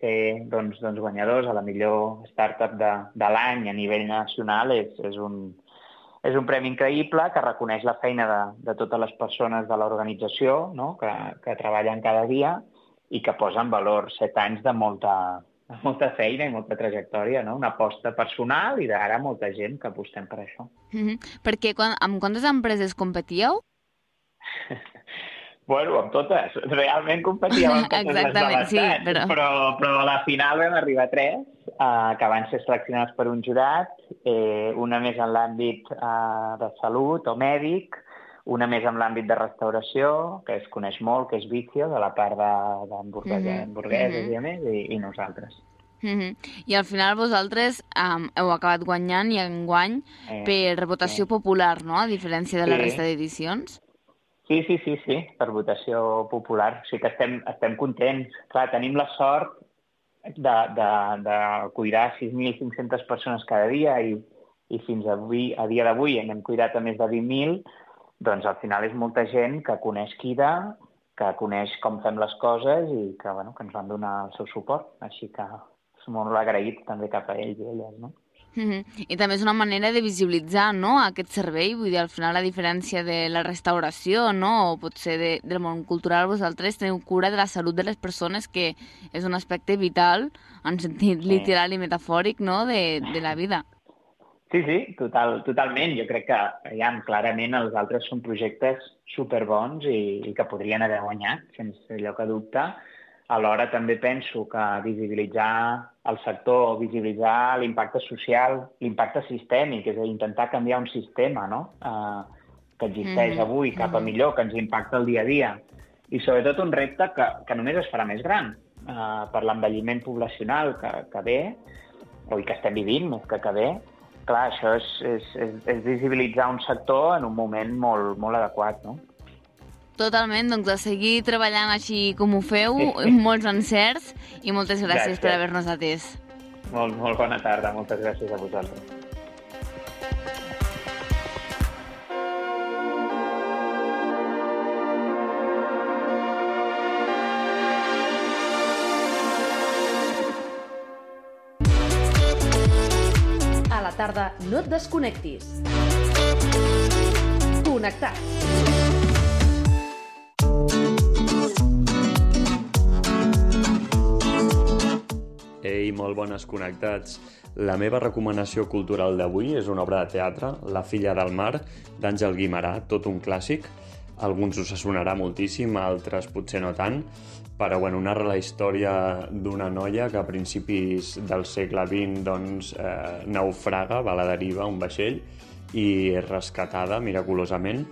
ser guanyadors a la millor startup de l'any a nivell nacional és un premi increïble que reconeix la feina de totes les persones de l'organització, no? que treballen cada dia i que posa en valor 7 anys de molta feina i molta trajectòria, no? Una aposta personal i d'ara molta gent que apostem per això. Perquè amb quantes empreses competíeu? Bueno, amb totes. Realment competíem amb totes les de l'estat, sí, però a la final vam arribar a 3, que van ser seleccionats per un jurat, una més en l'àmbit de salut o mèdic, una més en l'àmbit de restauració, que es coneix molt, que és Vicio, de la part d'hamburgueses i a més, i nosaltres. I al final vosaltres heu acabat guanyant i enguany per votació popular, no?, a diferència de la resta d'edicions. Sí, per votació popular. O sigui que estem contents. Clar, tenim la sort de cuidar 6.500 persones cada dia i fins a dia d'avui n'hem cuidat a més de 20.000, doncs al final és molta gent que coneix Kida, que coneix com fem les coses i que ens van donar el seu suport. Així que som molt agraïts també cap a ells i elles, no? I també és una manera de visibilitzar, no?, aquest servei. Vull dir, al final, a diferència de la restauració, no?, o potser del món cultural, vosaltres teniu cura de la salut de les persones, que és un aspecte vital, en sentit literal i metafòric, no?, de la vida. Sí, totalment. Jo crec que clarament els altres són projectes superbons i que podrien haver guanyat, sense lloc a dubte. Alhora també penso que visibilitzar el sector, visibilitzar l'impacte social, l'impacte sistèmic, és a dir, intentar canviar un sistema, no?, que existeix avui cap a millor, que ens impacta el dia a dia. I sobretot un repte que només es farà més gran per l'envelliment poblacional que ve, o que estem vivint més que ve. Clar, això és visibilitzar un sector en un moment molt, molt adequat, no? Totalment, doncs a seguir treballant així com ho feu, molts encerts i moltes gràcies per haver-nos atès. Molt bona tarda, moltes gràcies a vosaltres. A la tarda no et desconnectis. Connectats. Ei, molt bones connectats. La meva recomanació cultural d'avui és una obra de teatre, La filla del mar, d'Àngel Guimerà, tot un clàssic. Alguns us sonarà moltíssim, altres potser no tant, però narra la història d'una noia que a principis del segle XX naufraga, va a la deriva a un vaixell i és rescatada miraculosament,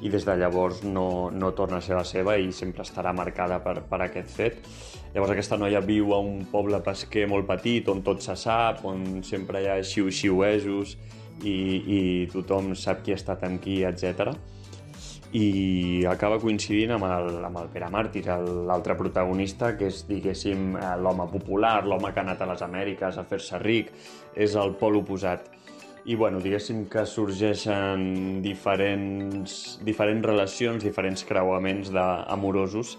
i des de llavors no torna a ser la seva i sempre estarà marcada per aquest fet. Llavors aquesta noia viu a un poble pesquer molt petit on tot se sap, on sempre hi ha xiu-xiuesos i tothom sap qui ha estat amb qui, etc. I acaba coincidint amb el Pere Màrtir, l'altre protagonista, que és, diguéssim, l'home popular, l'home que ha anat a les Amèriques a fer-se ric, és el pol oposat. i bueno, diguéssim que sorgeixen diferents relacions, diferents creuaments amorosos,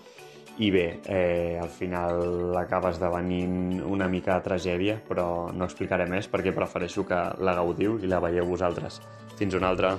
i bé, al final acaba esdevenint una mica de tragèdia, però no explicaré més perquè prefereixo que la gaudiu i la veieu vosaltres. Fins una altra!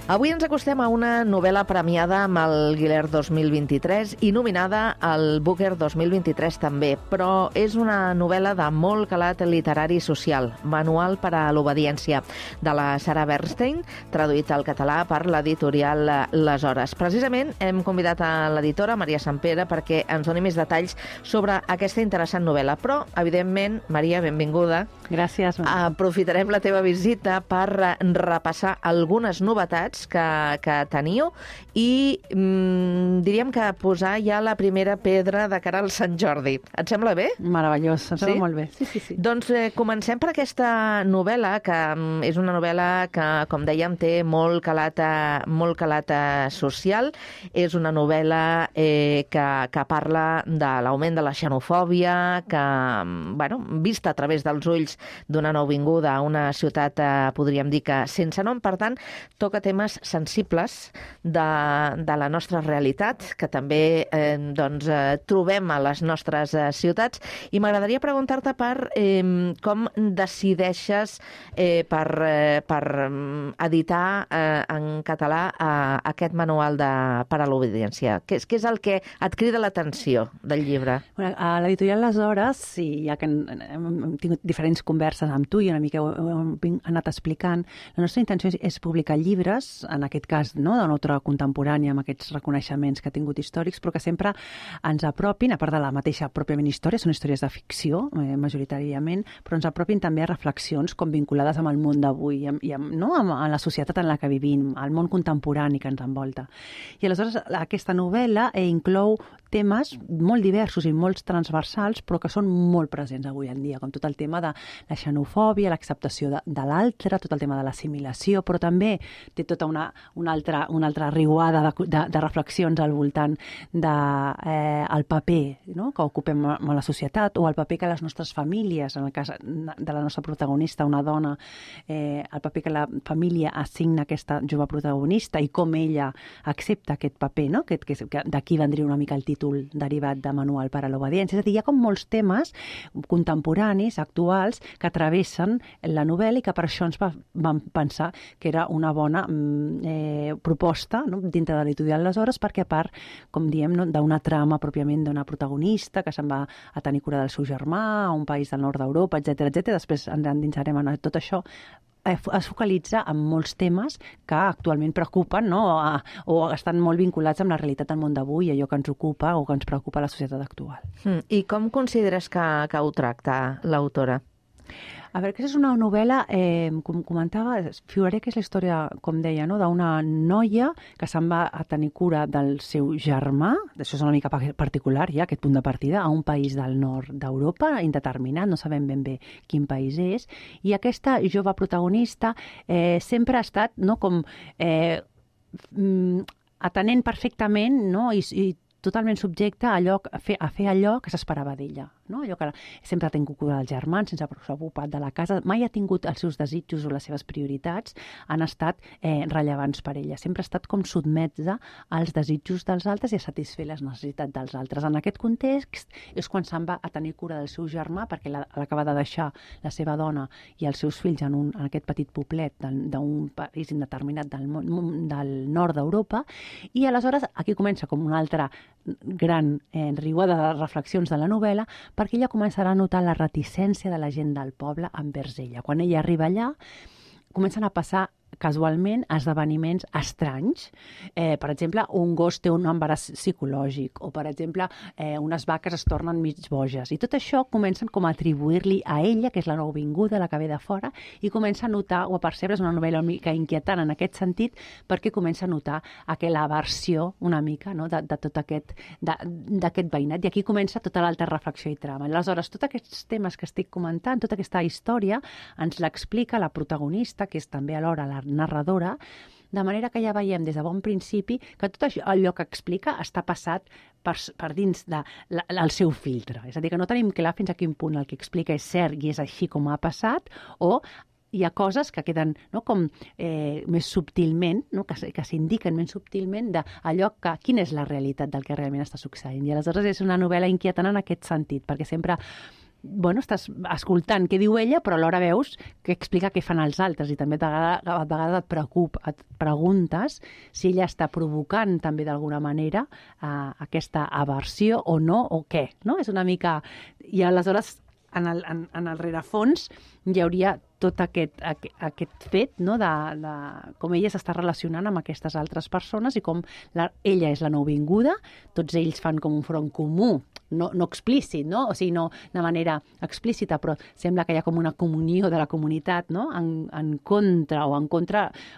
Avui ens acostem a una novel·la premiada amb el Guiller 2023 i nominada al Booker 2023 també, però és una novel·la de molt calat literari i social, Manual per a l'obediència, de la Sarah Bernstein, traduït al català per l'editorial Les Hores. Precisament hem convidat a l'editora Maria Sampere perquè ens doni més detalls sobre aquesta interessant novel·la, però, evidentment, Maria, benvinguda. Gràcies. Aprofitarem la teva visita per repassar algunes novetats que teniu i diríem que posar ja la primera pedra de cara al Sant Jordi. Et sembla bé? Meravellós, em sembla molt bé. Sí. Doncs comencem per aquesta novel·la, que és una novel·la que, com dèiem, té molt calat social. És una novel·la que parla de l'augment de la xenofòbia, que, bueno, vista a través dels ulls d'una nouvinguda a una ciutat, podríem dir que sense nom, per tant, toca temes sensibles de la nostra realitat, que també trobem a les nostres ciutats. I m'agradaria preguntar-te per com decideixes per editar en català aquest manual per a l'obediència. Què és el que et crida l'atenció del llibre? A l'editorial Les Hores, sí, ja que hem tingut diferents converses amb tu i una mica ho hem anat explicant, la nostra intenció és publicar llibres, en aquest cas, no, de l'autora contemporània, amb aquests reconeixements que ha tingut històrics, però que sempre ens apropin, a part de la mateixa pròpiament història, són històries de ficció, majoritàriament, però ens apropin també a reflexions com vinculades amb el món d'avui i amb la societat en la que vivim, al món contemporani que ens envolta. I aleshores aquesta novel·la inclou temes molt diversos i molt transversals, però que són molt presents avui en dia, com tot el tema de la xenofòbia, l'acceptació de l'altre, tot el tema de l'assimilació, però també té tota una altra riuada de reflexions al voltant del paper, no?, que ocupem a la societat, o el paper que les nostres famílies, en el cas de la nostra protagonista, una dona, el paper que la família assigna a aquesta jove protagonista i com ella accepta aquest paper, no?, que d'aquí vendria una mica el títol derivat de Manual per a l'obediència. És a dir, hi ha com molts temes contemporanis, actuals, que travessen la novel·la i que per això ens vam pensar que era una bona proposta, no?, dintre de l'editorial Les Hores, perquè a part, com diem, no?, d'una trama pròpiament d'una protagonista que se'n va a tenir cura del seu germà a un país del nord d'Europa, etc. Després ens endinsarem en tot això. Es focalitza en molts temes que actualment preocupen, no?, o estan molt vinculats amb la realitat del món d'avui, allò que ens ocupa o que ens preocupa a la societat actual. I com consideres que ho tracta l'autora? A veure, aquesta és una novel·la, com comentava, figuraré que és la història, com deia, no?, d'una noia que se'n va a tenir cura del seu germà, això és una mica particular ja, aquest punt de partida, a un país del nord d'Europa, indeterminat, no sabem ben bé quin país és, i aquesta jove protagonista sempre ha estat, no?, com atenent perfectament, no?, i totalment subjecte a fer allò que s'esperava d'ella. No? Allò que sempre ha tingut cura dels germans, sense s'ha ocupat de la casa, mai ha tingut els seus desitjos o les seves prioritats, han estat rellevants per ella. Sempre ha estat com sotmesa als desitjos dels altres i a satisfer les necessitats dels altres. En aquest context és quan se'n va a tenir cura del seu germà, perquè l'acaba de deixar la seva dona i els seus fills en aquest petit poblet d'un país indeterminat del nord d'Europa, i aleshores aquí comença com una altra gran riuada de reflexions de la novel·la, perquè ella començarà a notar la reticència de la gent del poble envers ella. Quan ella arriba allà, comencen a passar casualment esdeveniments estranys. Per exemple, un gos té un embaràs psicològic o, per exemple, unes vaques es tornen mig boges. I tot això comencen com a atribuir-li a ella, que és la nouvinguda, la que ve de fora, i comença a notar o a percebre, és una novel·la una mica inquietant en aquest sentit, perquè comença a notar aquella aversió una mica, no?, de tot d'aquest veïnat. I aquí comença tota l'altra reflexió i trama. Aleshores, tots aquests temes que estic comentant, tota aquesta història, ens l'explica la protagonista, que és també alhora la narradora, de manera que ja veiem des de bon principi que tot allò que explica està passat per dins del seu filtre. És a dir, que no tenim clar fins a quin punt el que explica és cert i és així com ha passat, o hi ha coses que queden, no, com més subtilment, no, que s'indiquen més subtilment d'allò que quina és la realitat del que realment està succeint. I aleshores és una novel·la inquietant en aquest sentit, perquè sempre estàs escoltant què diu ella, però alhora veus que explica què fan els altres i també a vegades et preguntes si ella està provocant també d'alguna manera aquesta aversió o no, o què, no? És una mica... I aleshores, en el rerefons hi hauria tot aquest fet, no?, de com ella s'està relacionant amb aquestes altres persones i com ella és la nouvinguda, tots ells fan com un front comú, no explícit, no? O sigui, no de manera explícita, però sembla que hi ha com una comunió de la comunitat, no?, en contra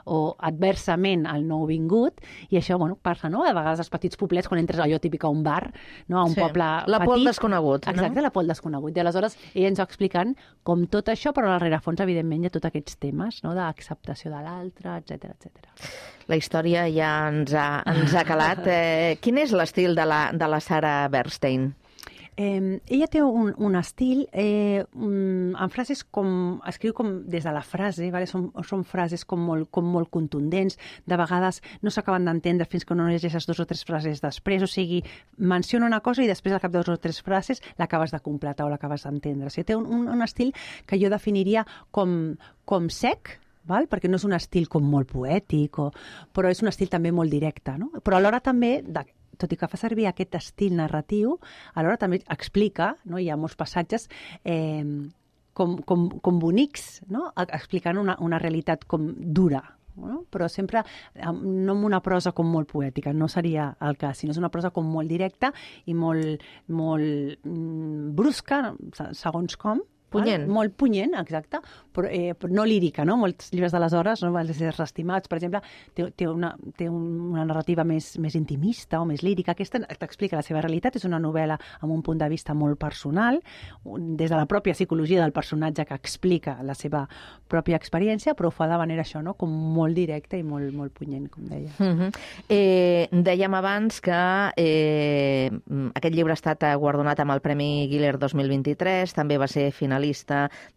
o adversament al nouvingut, i això, passa, no?, a vegades als petits poblets, quan entres allò típic a un bar, no?, a un poble petit. La por al desconegut, no? Exacte, la por al desconegut. I aleshores ella ens va explicant com tot això, però al rerefons, evidentment, hi ha tots aquests temes, no?, d'acceptació de l'altre, etcètera, etcètera. La història ja ens ha calat. Quin és l'estil de la Sarah Bernstein? Ella té un estil en frases com... Escriu com des de la frase, ¿vale? Són frases com molt contundents, de vegades no s'acaben d'entendre fins que no llegeixes 2 o 3 frases després, o sigui, menciona una cosa i després al cap de 2 o 3 frases l'acabes de completar o l'acabes d'entendre. O sigui, té un estil que jo definiria com sec, val? Perquè no és un estil com molt poètic, però és un estil també molt directe, no? Però alhora també... tot i que fa servir aquest estil narratiu, alhora també explica, no? Hi ha molts passatges com bonics, no?, explicant una realitat com dura, no? Però sempre no amb una prosa com molt poètica, no seria el cas, sinó és una prosa com molt directa i molt brusca, segons com. Punyent. Molt punyent, exacte, però no lírica, no? Molts llibres d'aleshores, no?, els éssers estimats, per exemple, té una narrativa més intimista o més lírica. Aquesta t'explica la seva realitat, és una novel·la amb un punt de vista molt personal, des de la pròpia psicologia del personatge que explica la seva pròpia experiència, però ho fa de manera això, no?, com molt directa i molt punyent, com deia. Dèiem abans que aquest llibre ha estat guardonat amb el Premi Guiller 2023, també va ser finalista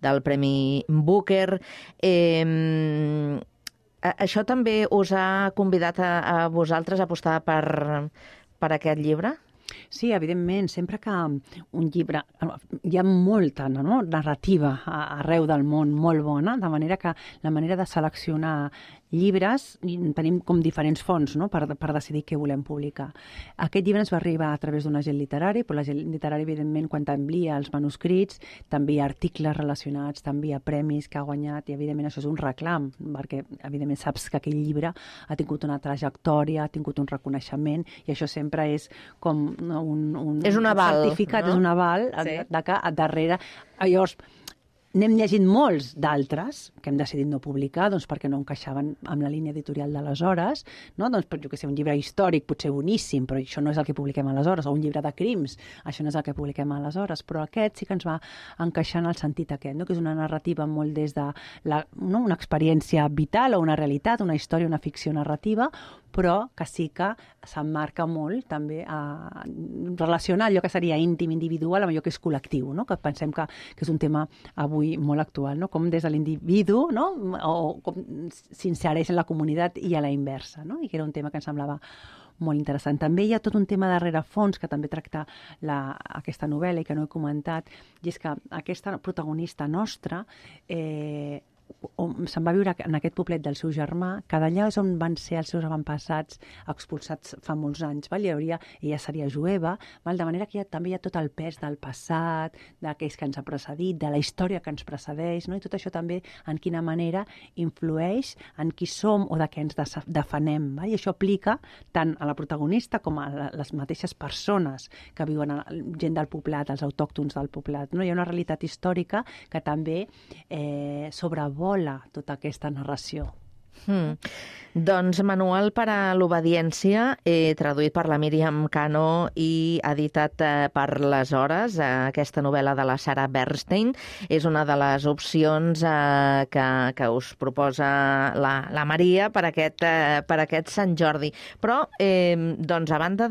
del Premi Booker. Això també us ha convidat a vosaltres a apostar per aquest llibre? Sí, evidentment, sempre que un llibre... Hi ha molta narrativa arreu del món molt bona, de manera que la manera de seleccionar llibres, tenim com diferents fonts, no?, per decidir què volem publicar. Aquest llibre ens va arribar a través d'un agent literari, però l'agent literari, evidentment, quan t'envia els manuscrits, t'envia articles relacionats, t'envia premis que ha guanyat, i evidentment això és un reclam, perquè evidentment saps que aquell llibre ha tingut una trajectòria, ha tingut un reconeixement, i això sempre és com un és un aval, certificat, no? És un aval, sí, de que darrere... Llavors, n'hem llegit molts d'altres que hem decidit no publicar, doncs perquè no encaixaven amb la línia editorial d'aleshores, no? Doncs, jo què sé, un llibre històric potser boníssim, però això no és el que publiquem aleshores, o un llibre de crims, això no és el que publiquem aleshores, però aquest sí que ens va encaixar en el sentit aquest, no? Que és una narrativa molt des de una experiència vital o una realitat, una història, una ficció narrativa, però que sí que s'emmarca molt també a relacionar allò que seria íntim, individual, amb allò que és col·lectiu, no? Que pensem que és un tema avui molt actual, no? Com des de l'individu, no?, o com s'insereix en la comunitat i a la inversa, no? I que era un tema que ens semblava molt interessant. També hi ha tot un tema de rerefons que també tracta aquesta novel·la i que no he comentat, i és que aquesta protagonista nostra se'n va viure en aquest poblet del seu germà, que d'allà és on van ser els seus avantpassats expulsats fa molts anys. Val? Ella seria jueva, val? De manera que també hi ha tot el pes del passat, d'aquells que ens ha precedit, de la història que ens precedeix, no? I tot això també en quina manera influeix en qui som o de què ens defenem. Val? I això aplica tant a la protagonista com a les mateixes persones que viuen, gent del poblat, els autòctons del poblat. No? Hi ha una realitat històrica que també sobrevola tota aquesta narració. Doncs Manual per a l'obediència, traduït per la Míriam Cano i editat per Les Hores. Aquesta novel·la de la Sarah Bernstein és una de les opcions que us proposa la Maria per aquest Sant Jordi. Però, doncs, a banda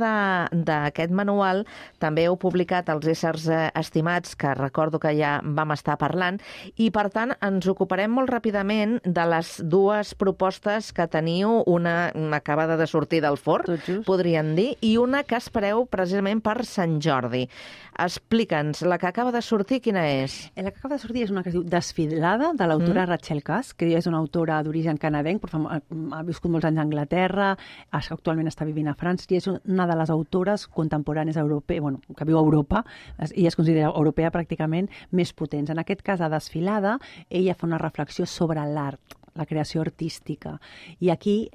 d'aquest manual, també heu publicat Els éssers estimats, que recordo que ja vam estar parlant, i per tant ens ocuparem molt ràpidament de les dues propostes que teniu, una acabada de sortir del forn, podríem dir, i una que espereu precisament per Sant Jordi. Explica'ns, la que acaba de sortir, quina és? La que acaba de sortir és una que es diu Desfilada, de l'autora Rachel Cusk, que és una autora d'origen canadenc, però ha viscut molts anys a Anglaterra, actualment està vivint a França, i és una de les autores contemporànies europees, que viu a Europa, i es considera europea pràcticament, més potents. En aquest cas, a Desfilada, ella fa una reflexió sobre l'art, la creació artística. I aquí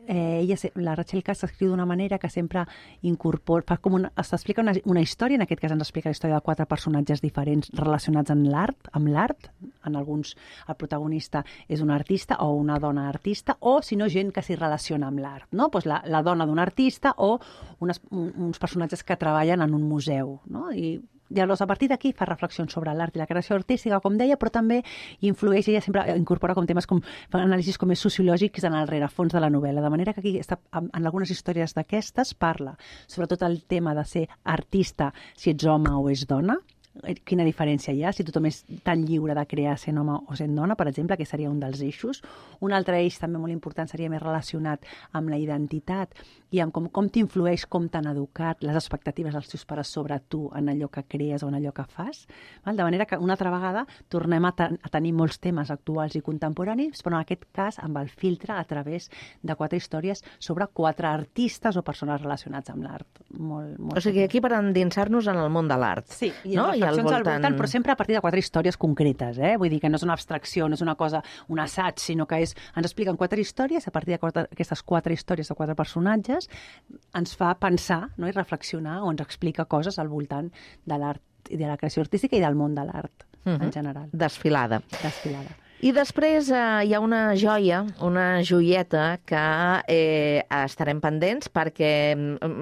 la Rachel Cusk s'escriu d'una manera que sempre incorpora, s'explica una història, en aquest cas ens explica la història de 4 personatges diferents relacionats amb l'art. En alguns el protagonista és un artista o una dona artista, o si no, gent que s'hi relaciona amb l'art. No? Pues la dona d'un artista o uns personatges que treballen en un museu. No? I llavors, a partir d'aquí fa reflexions sobre l'art i la creació artística, com deia, però també influeix, ella sempre incorpora com temes anàlisis com més sociològics en el rerefons de la novel·la, de manera que aquí en algunes històries d'aquestes parla sobretot el tema de ser artista, si ets home o és dona, quina diferència hi ha, si tothom és tan lliure de crear sent home o sent dona, per exemple, que seria un dels eixos. Un altre eix també molt important seria més relacionat amb la identitat i amb com t'influeix, com t'han educat, les expectatives dels teus pares sobre tu en allò que crees o en allò que fas. De manera que una altra vegada tornem a tenir molts temes actuals i contemporanis, però en aquest cas amb el filtre a través de 4 històries sobre 4 artistes o persones relacionats amb l'art. O sigui, aquí per endinsar-nos en el món de l'art. Sí, i reflexions al voltant, però sempre a partir de 4 històries concretes. Vull dir que no és una abstracció, no és una cosa, un assaig, sinó que ens expliquen 4 històries, a partir d'aquestes 4 històries de 4 personatges ens fa pensar, no? I reflexionar, o ens explica coses al voltant de l'art i de la creació artística i del món de l'art en general. Desfilada. Desfilada. I després hi ha una joia, una joieta que estarem pendents perquè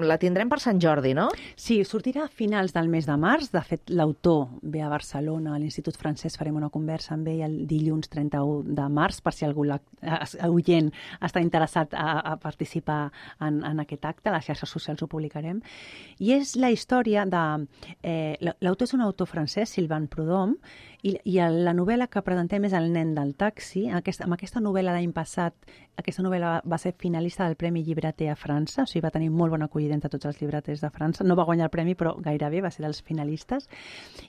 la tindrem per Sant Jordi, no? Sí, sortirà a finals del mes de març. De fet, l'autor ve a Barcelona, a l'Institut Francès, farem una conversa amb ell el dilluns 31 de març, per si algú oient està interessat a participar en aquest acte. A les xarxes socials ho publicarem. I és la història de... L'autor és un autor francès, Sylvain Prudhomme, i la novel·la que presentem és El nen del taxi. Amb aquesta novel·la l'any passat, aquesta novel·la va ser finalista del Premi Llibreter a França, o sigui, va tenir molt bona acollida entre tots els llibreters de França. No va guanyar el premi, però gairebé va ser dels finalistes.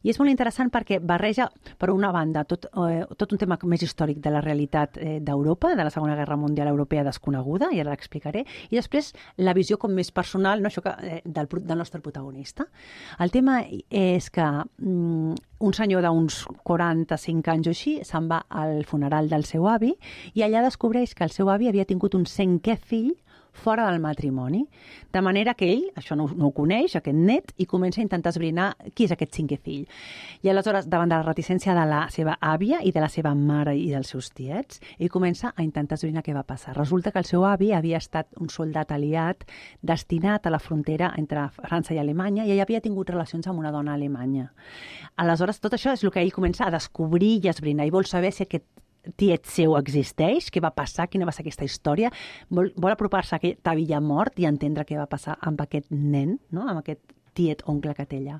I és molt interessant perquè barreja, per una banda, tot un tema més històric de la realitat d'Europa, de la Segona Guerra Mundial Europea desconeguda, i ara l'explicaré, i després la visió com més personal, no, això del nostre protagonista. El tema és que un senyor d'uns 45 anys o així se'n va al funeral del seu avi i allà descobreix que el seu avi havia tingut un 5è fill fora del matrimoni. De manera que ell, això no ho coneix, aquest net, i comença a intentar esbrinar qui és aquest 5è fill. I aleshores, davant de la reticència de la seva àvia i de la seva mare i dels seus tiets, ell comença a intentar esbrinar què va passar. Resulta que el seu avi havia estat un soldat aliat destinat a la frontera entre França i Alemanya i ell havia tingut relacions amb una dona alemanya. Aleshores, tot això és el que ell comença a descobrir i a esbrinar, i vol saber si aquest tiet seu existeix, què va passar, quina va ser aquesta història, vol apropar-se a aquest avi ja mort i entendre què va passar amb aquest nen, no? Amb aquest tiet oncle que té allà.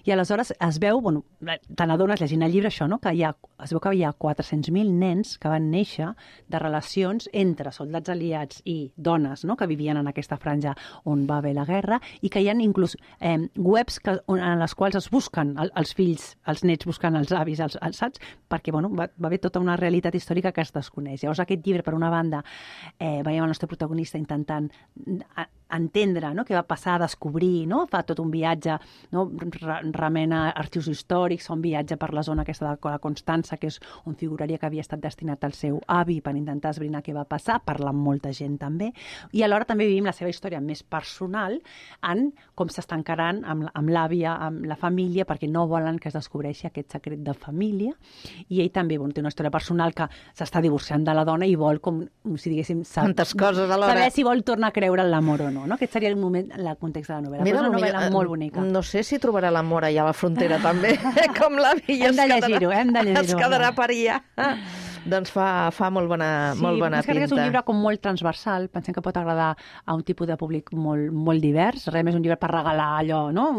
I aleshores es veu, bueno, te n'adones llegint el llibre això, no? Que es veu que hi ha 400.000 nens que van néixer de relacions entre soldats aliats i dones, no? Que vivien en aquesta franja on va haver la guerra, i que hi ha inclús webs en les quals es busquen els fills, els nets buscant els avis, saps? Perquè bueno, va haver tota una realitat històrica que es desconeix. Llavors aquest llibre, per una banda, veiem el nostre protagonista intentant entendre, no?, què va passar, descobrir, no?, fa tot un viatge, no?, remena arxius històrics, fa un viatge per la zona aquesta de la Constança, que és on figuraria que havia estat destinat al seu avi per intentar esbrinar què va passar, parla amb molta gent també, i alhora també vivim la seva història més personal en com s'està encarant amb l'àvia, amb la família, perquè no volen que es descobreixi aquest secret de família, i ell també té una història personal que s'està divorciant de la dona i vol, com si diguéssim, tantes coses alhora, saber si vol tornar a creure en l'amor o no. Aquest seria el moment, el context de la novel·la. Mira, és una novel·la molt bonica. No sé si trobarà l'amor allà a la frontera també, com l'avi. Hem de llegir-ho. Es quedarà per allà. Doncs fa molt bona pinta. Sí, és un llibre com molt transversal. Pensem que pot agradar a un tipus de públic molt divers. Realment és un llibre per regalar allò, no?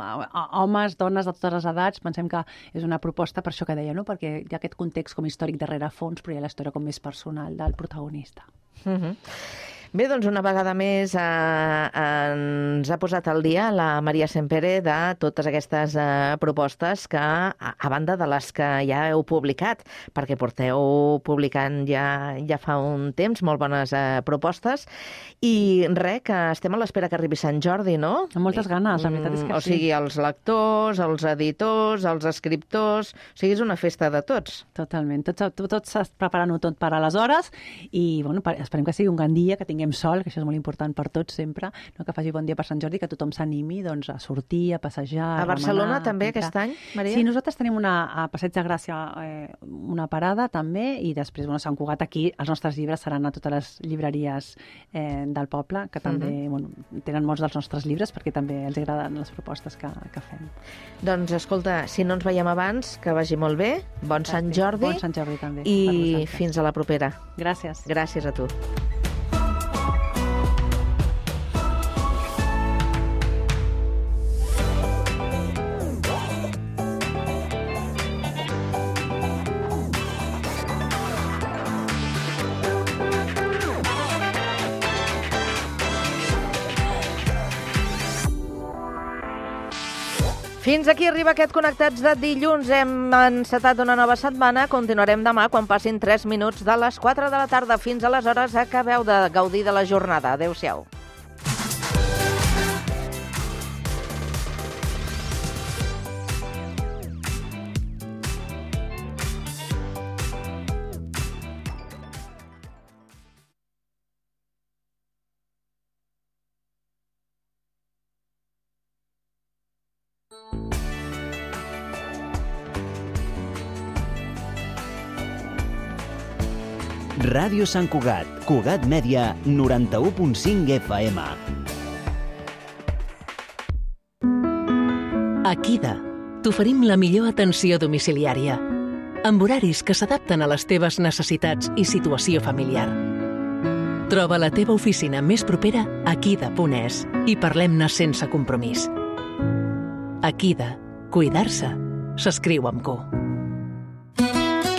A homes, dones de totes les edats. Pensem que és una proposta per això que deia, no? Perquè hi ha aquest context com històric darrere fons, però hi ha la història com més personal del protagonista. Bé, doncs una vegada més ens ha posat al dia la Maria Sempere de totes aquestes propostes que, a banda de les que ja heu publicat, perquè porteu publicant ja fa un temps molt bones propostes, i res, que estem a l'espera que arribi Sant Jordi, no? Amb moltes ganes, la veritat és que sí. O sigui, els lectors, els editors, els escriptors, o sigui, és una festa de tots. Totalment, tots preparant-ho tot per aleshores, i bueno, esperem que sigui un gran dia, que tinguem sol, que això és molt important per tots sempre, no? Que faci bon dia per Sant Jordi, que tothom s'animi doncs, a sortir, a passejar, a Barcelona també aquest any, Maria? Sí, nosaltres tenim a Passeig de Gràcia una parada també, i després a Sant Cugat aquí els nostres llibres seran a totes les llibreries del poble, que també tenen molts dels nostres llibres perquè també els agraden les propostes que fem. Doncs escolta, si no ens veiem abans, que vagi molt bé, bon Sant Jordi. Bon Sant Jordi també. I fins a la propera. Gràcies. Gràcies a tu. Fins aquí arriba aquest Connectats de dilluns. Hem encetat una nova setmana. Continuarem demà quan passin 3 minuts de les 4 de la tarda. Fins aleshores acabeu de gaudir de la jornada. Adéu-siau. Ràdio Sant Cugat, Cugat Mèdia, 91.5 FM. A Kida t'oferim la millor atenció domiciliària, amb horaris que s'adapten a les teves necessitats i situació familiar. Troba la teva oficina més propera a kida.es i parlem-ne sense compromís. A Kida, cuidar-se s'escriu amb Q.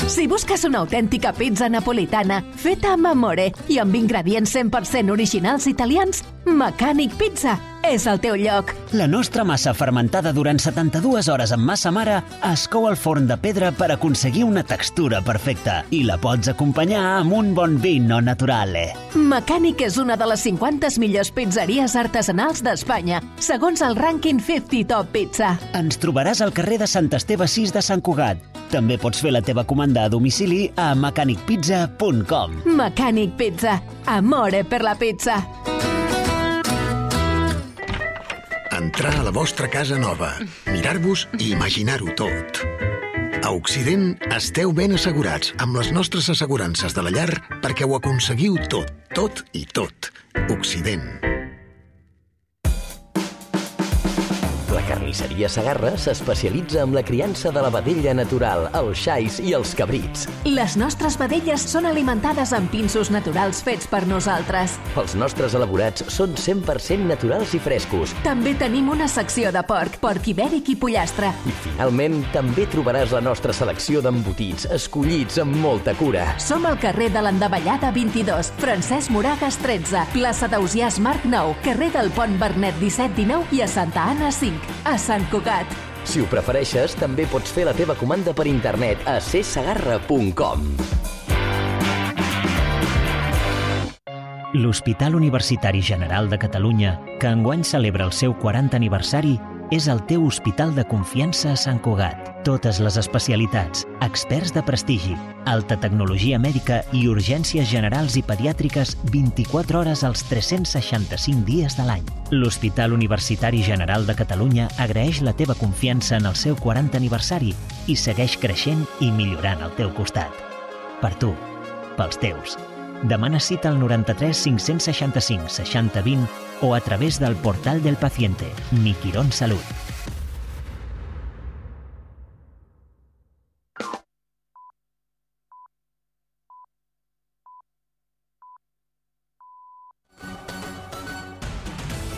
Si busques una autèntica pizza napolitana feta amb amore i amb ingredients 100% originals italians, Mecànic Pizza és el teu lloc. La nostra massa fermentada durant 72 hores amb massa mare es cou al forn de pedra per aconseguir una textura perfecta i la pots acompanyar amb un bon vino naturale. Mecànic és una de les 50 millors pizzeries artesanals d'Espanya, segons el rànquing 50 Top Pizza. Ens trobaràs al carrer de Sant Esteve 6 de Sant Cugat. També pots fer la teva comanda a domicili a mecanicpizza.com. Mecànic Pizza. Amore per la pizza. Entrar a la vostra casa nova, mirar-vos i imaginar-ho tot. A Occident esteu ben assegurats amb les nostres assegurances de la llar perquè ho aconseguiu tot, tot i tot. Occident. La Carla Carnisseria Segarra s'especialitza en la criança de la vedella natural, els xais i els cabrits. Les nostres vedelles són alimentades amb pinsos naturals fets per nosaltres. Els nostres elaborats són 100% naturals i frescos. També tenim una secció de porc ibèric i pollastre. I finalment, també trobaràs la nostra selecció d'embotits, escollits amb molta cura. Som al carrer de l'Endavellada 22, Francesc Moragas 13, plaça d'Ausiàs Marc 9, carrer del Pont Bernet 17-19 i a Santa Anna 5, a Sant Cugat. Si ho prefereixes, també pots fer la teva comanda per internet a csegarra.com. L'Hospital Universitari General de Catalunya, que enguany celebra el seu 40 aniversari, és el teu hospital de confiança a Sant Cugat. Totes les especialitats, experts de prestigi, alta tecnologia mèdica i urgències generals i pediàtriques 24 hores als 365 dies de l'any. L'Hospital Universitari General de Catalunya agraeix la teva confiança en el seu 40 aniversari i segueix creixent i millorant al teu costat. Per tu, pels teus. Demana cita al 93 565 60 20 o a través del portal del paciente Mi Quirón Salud.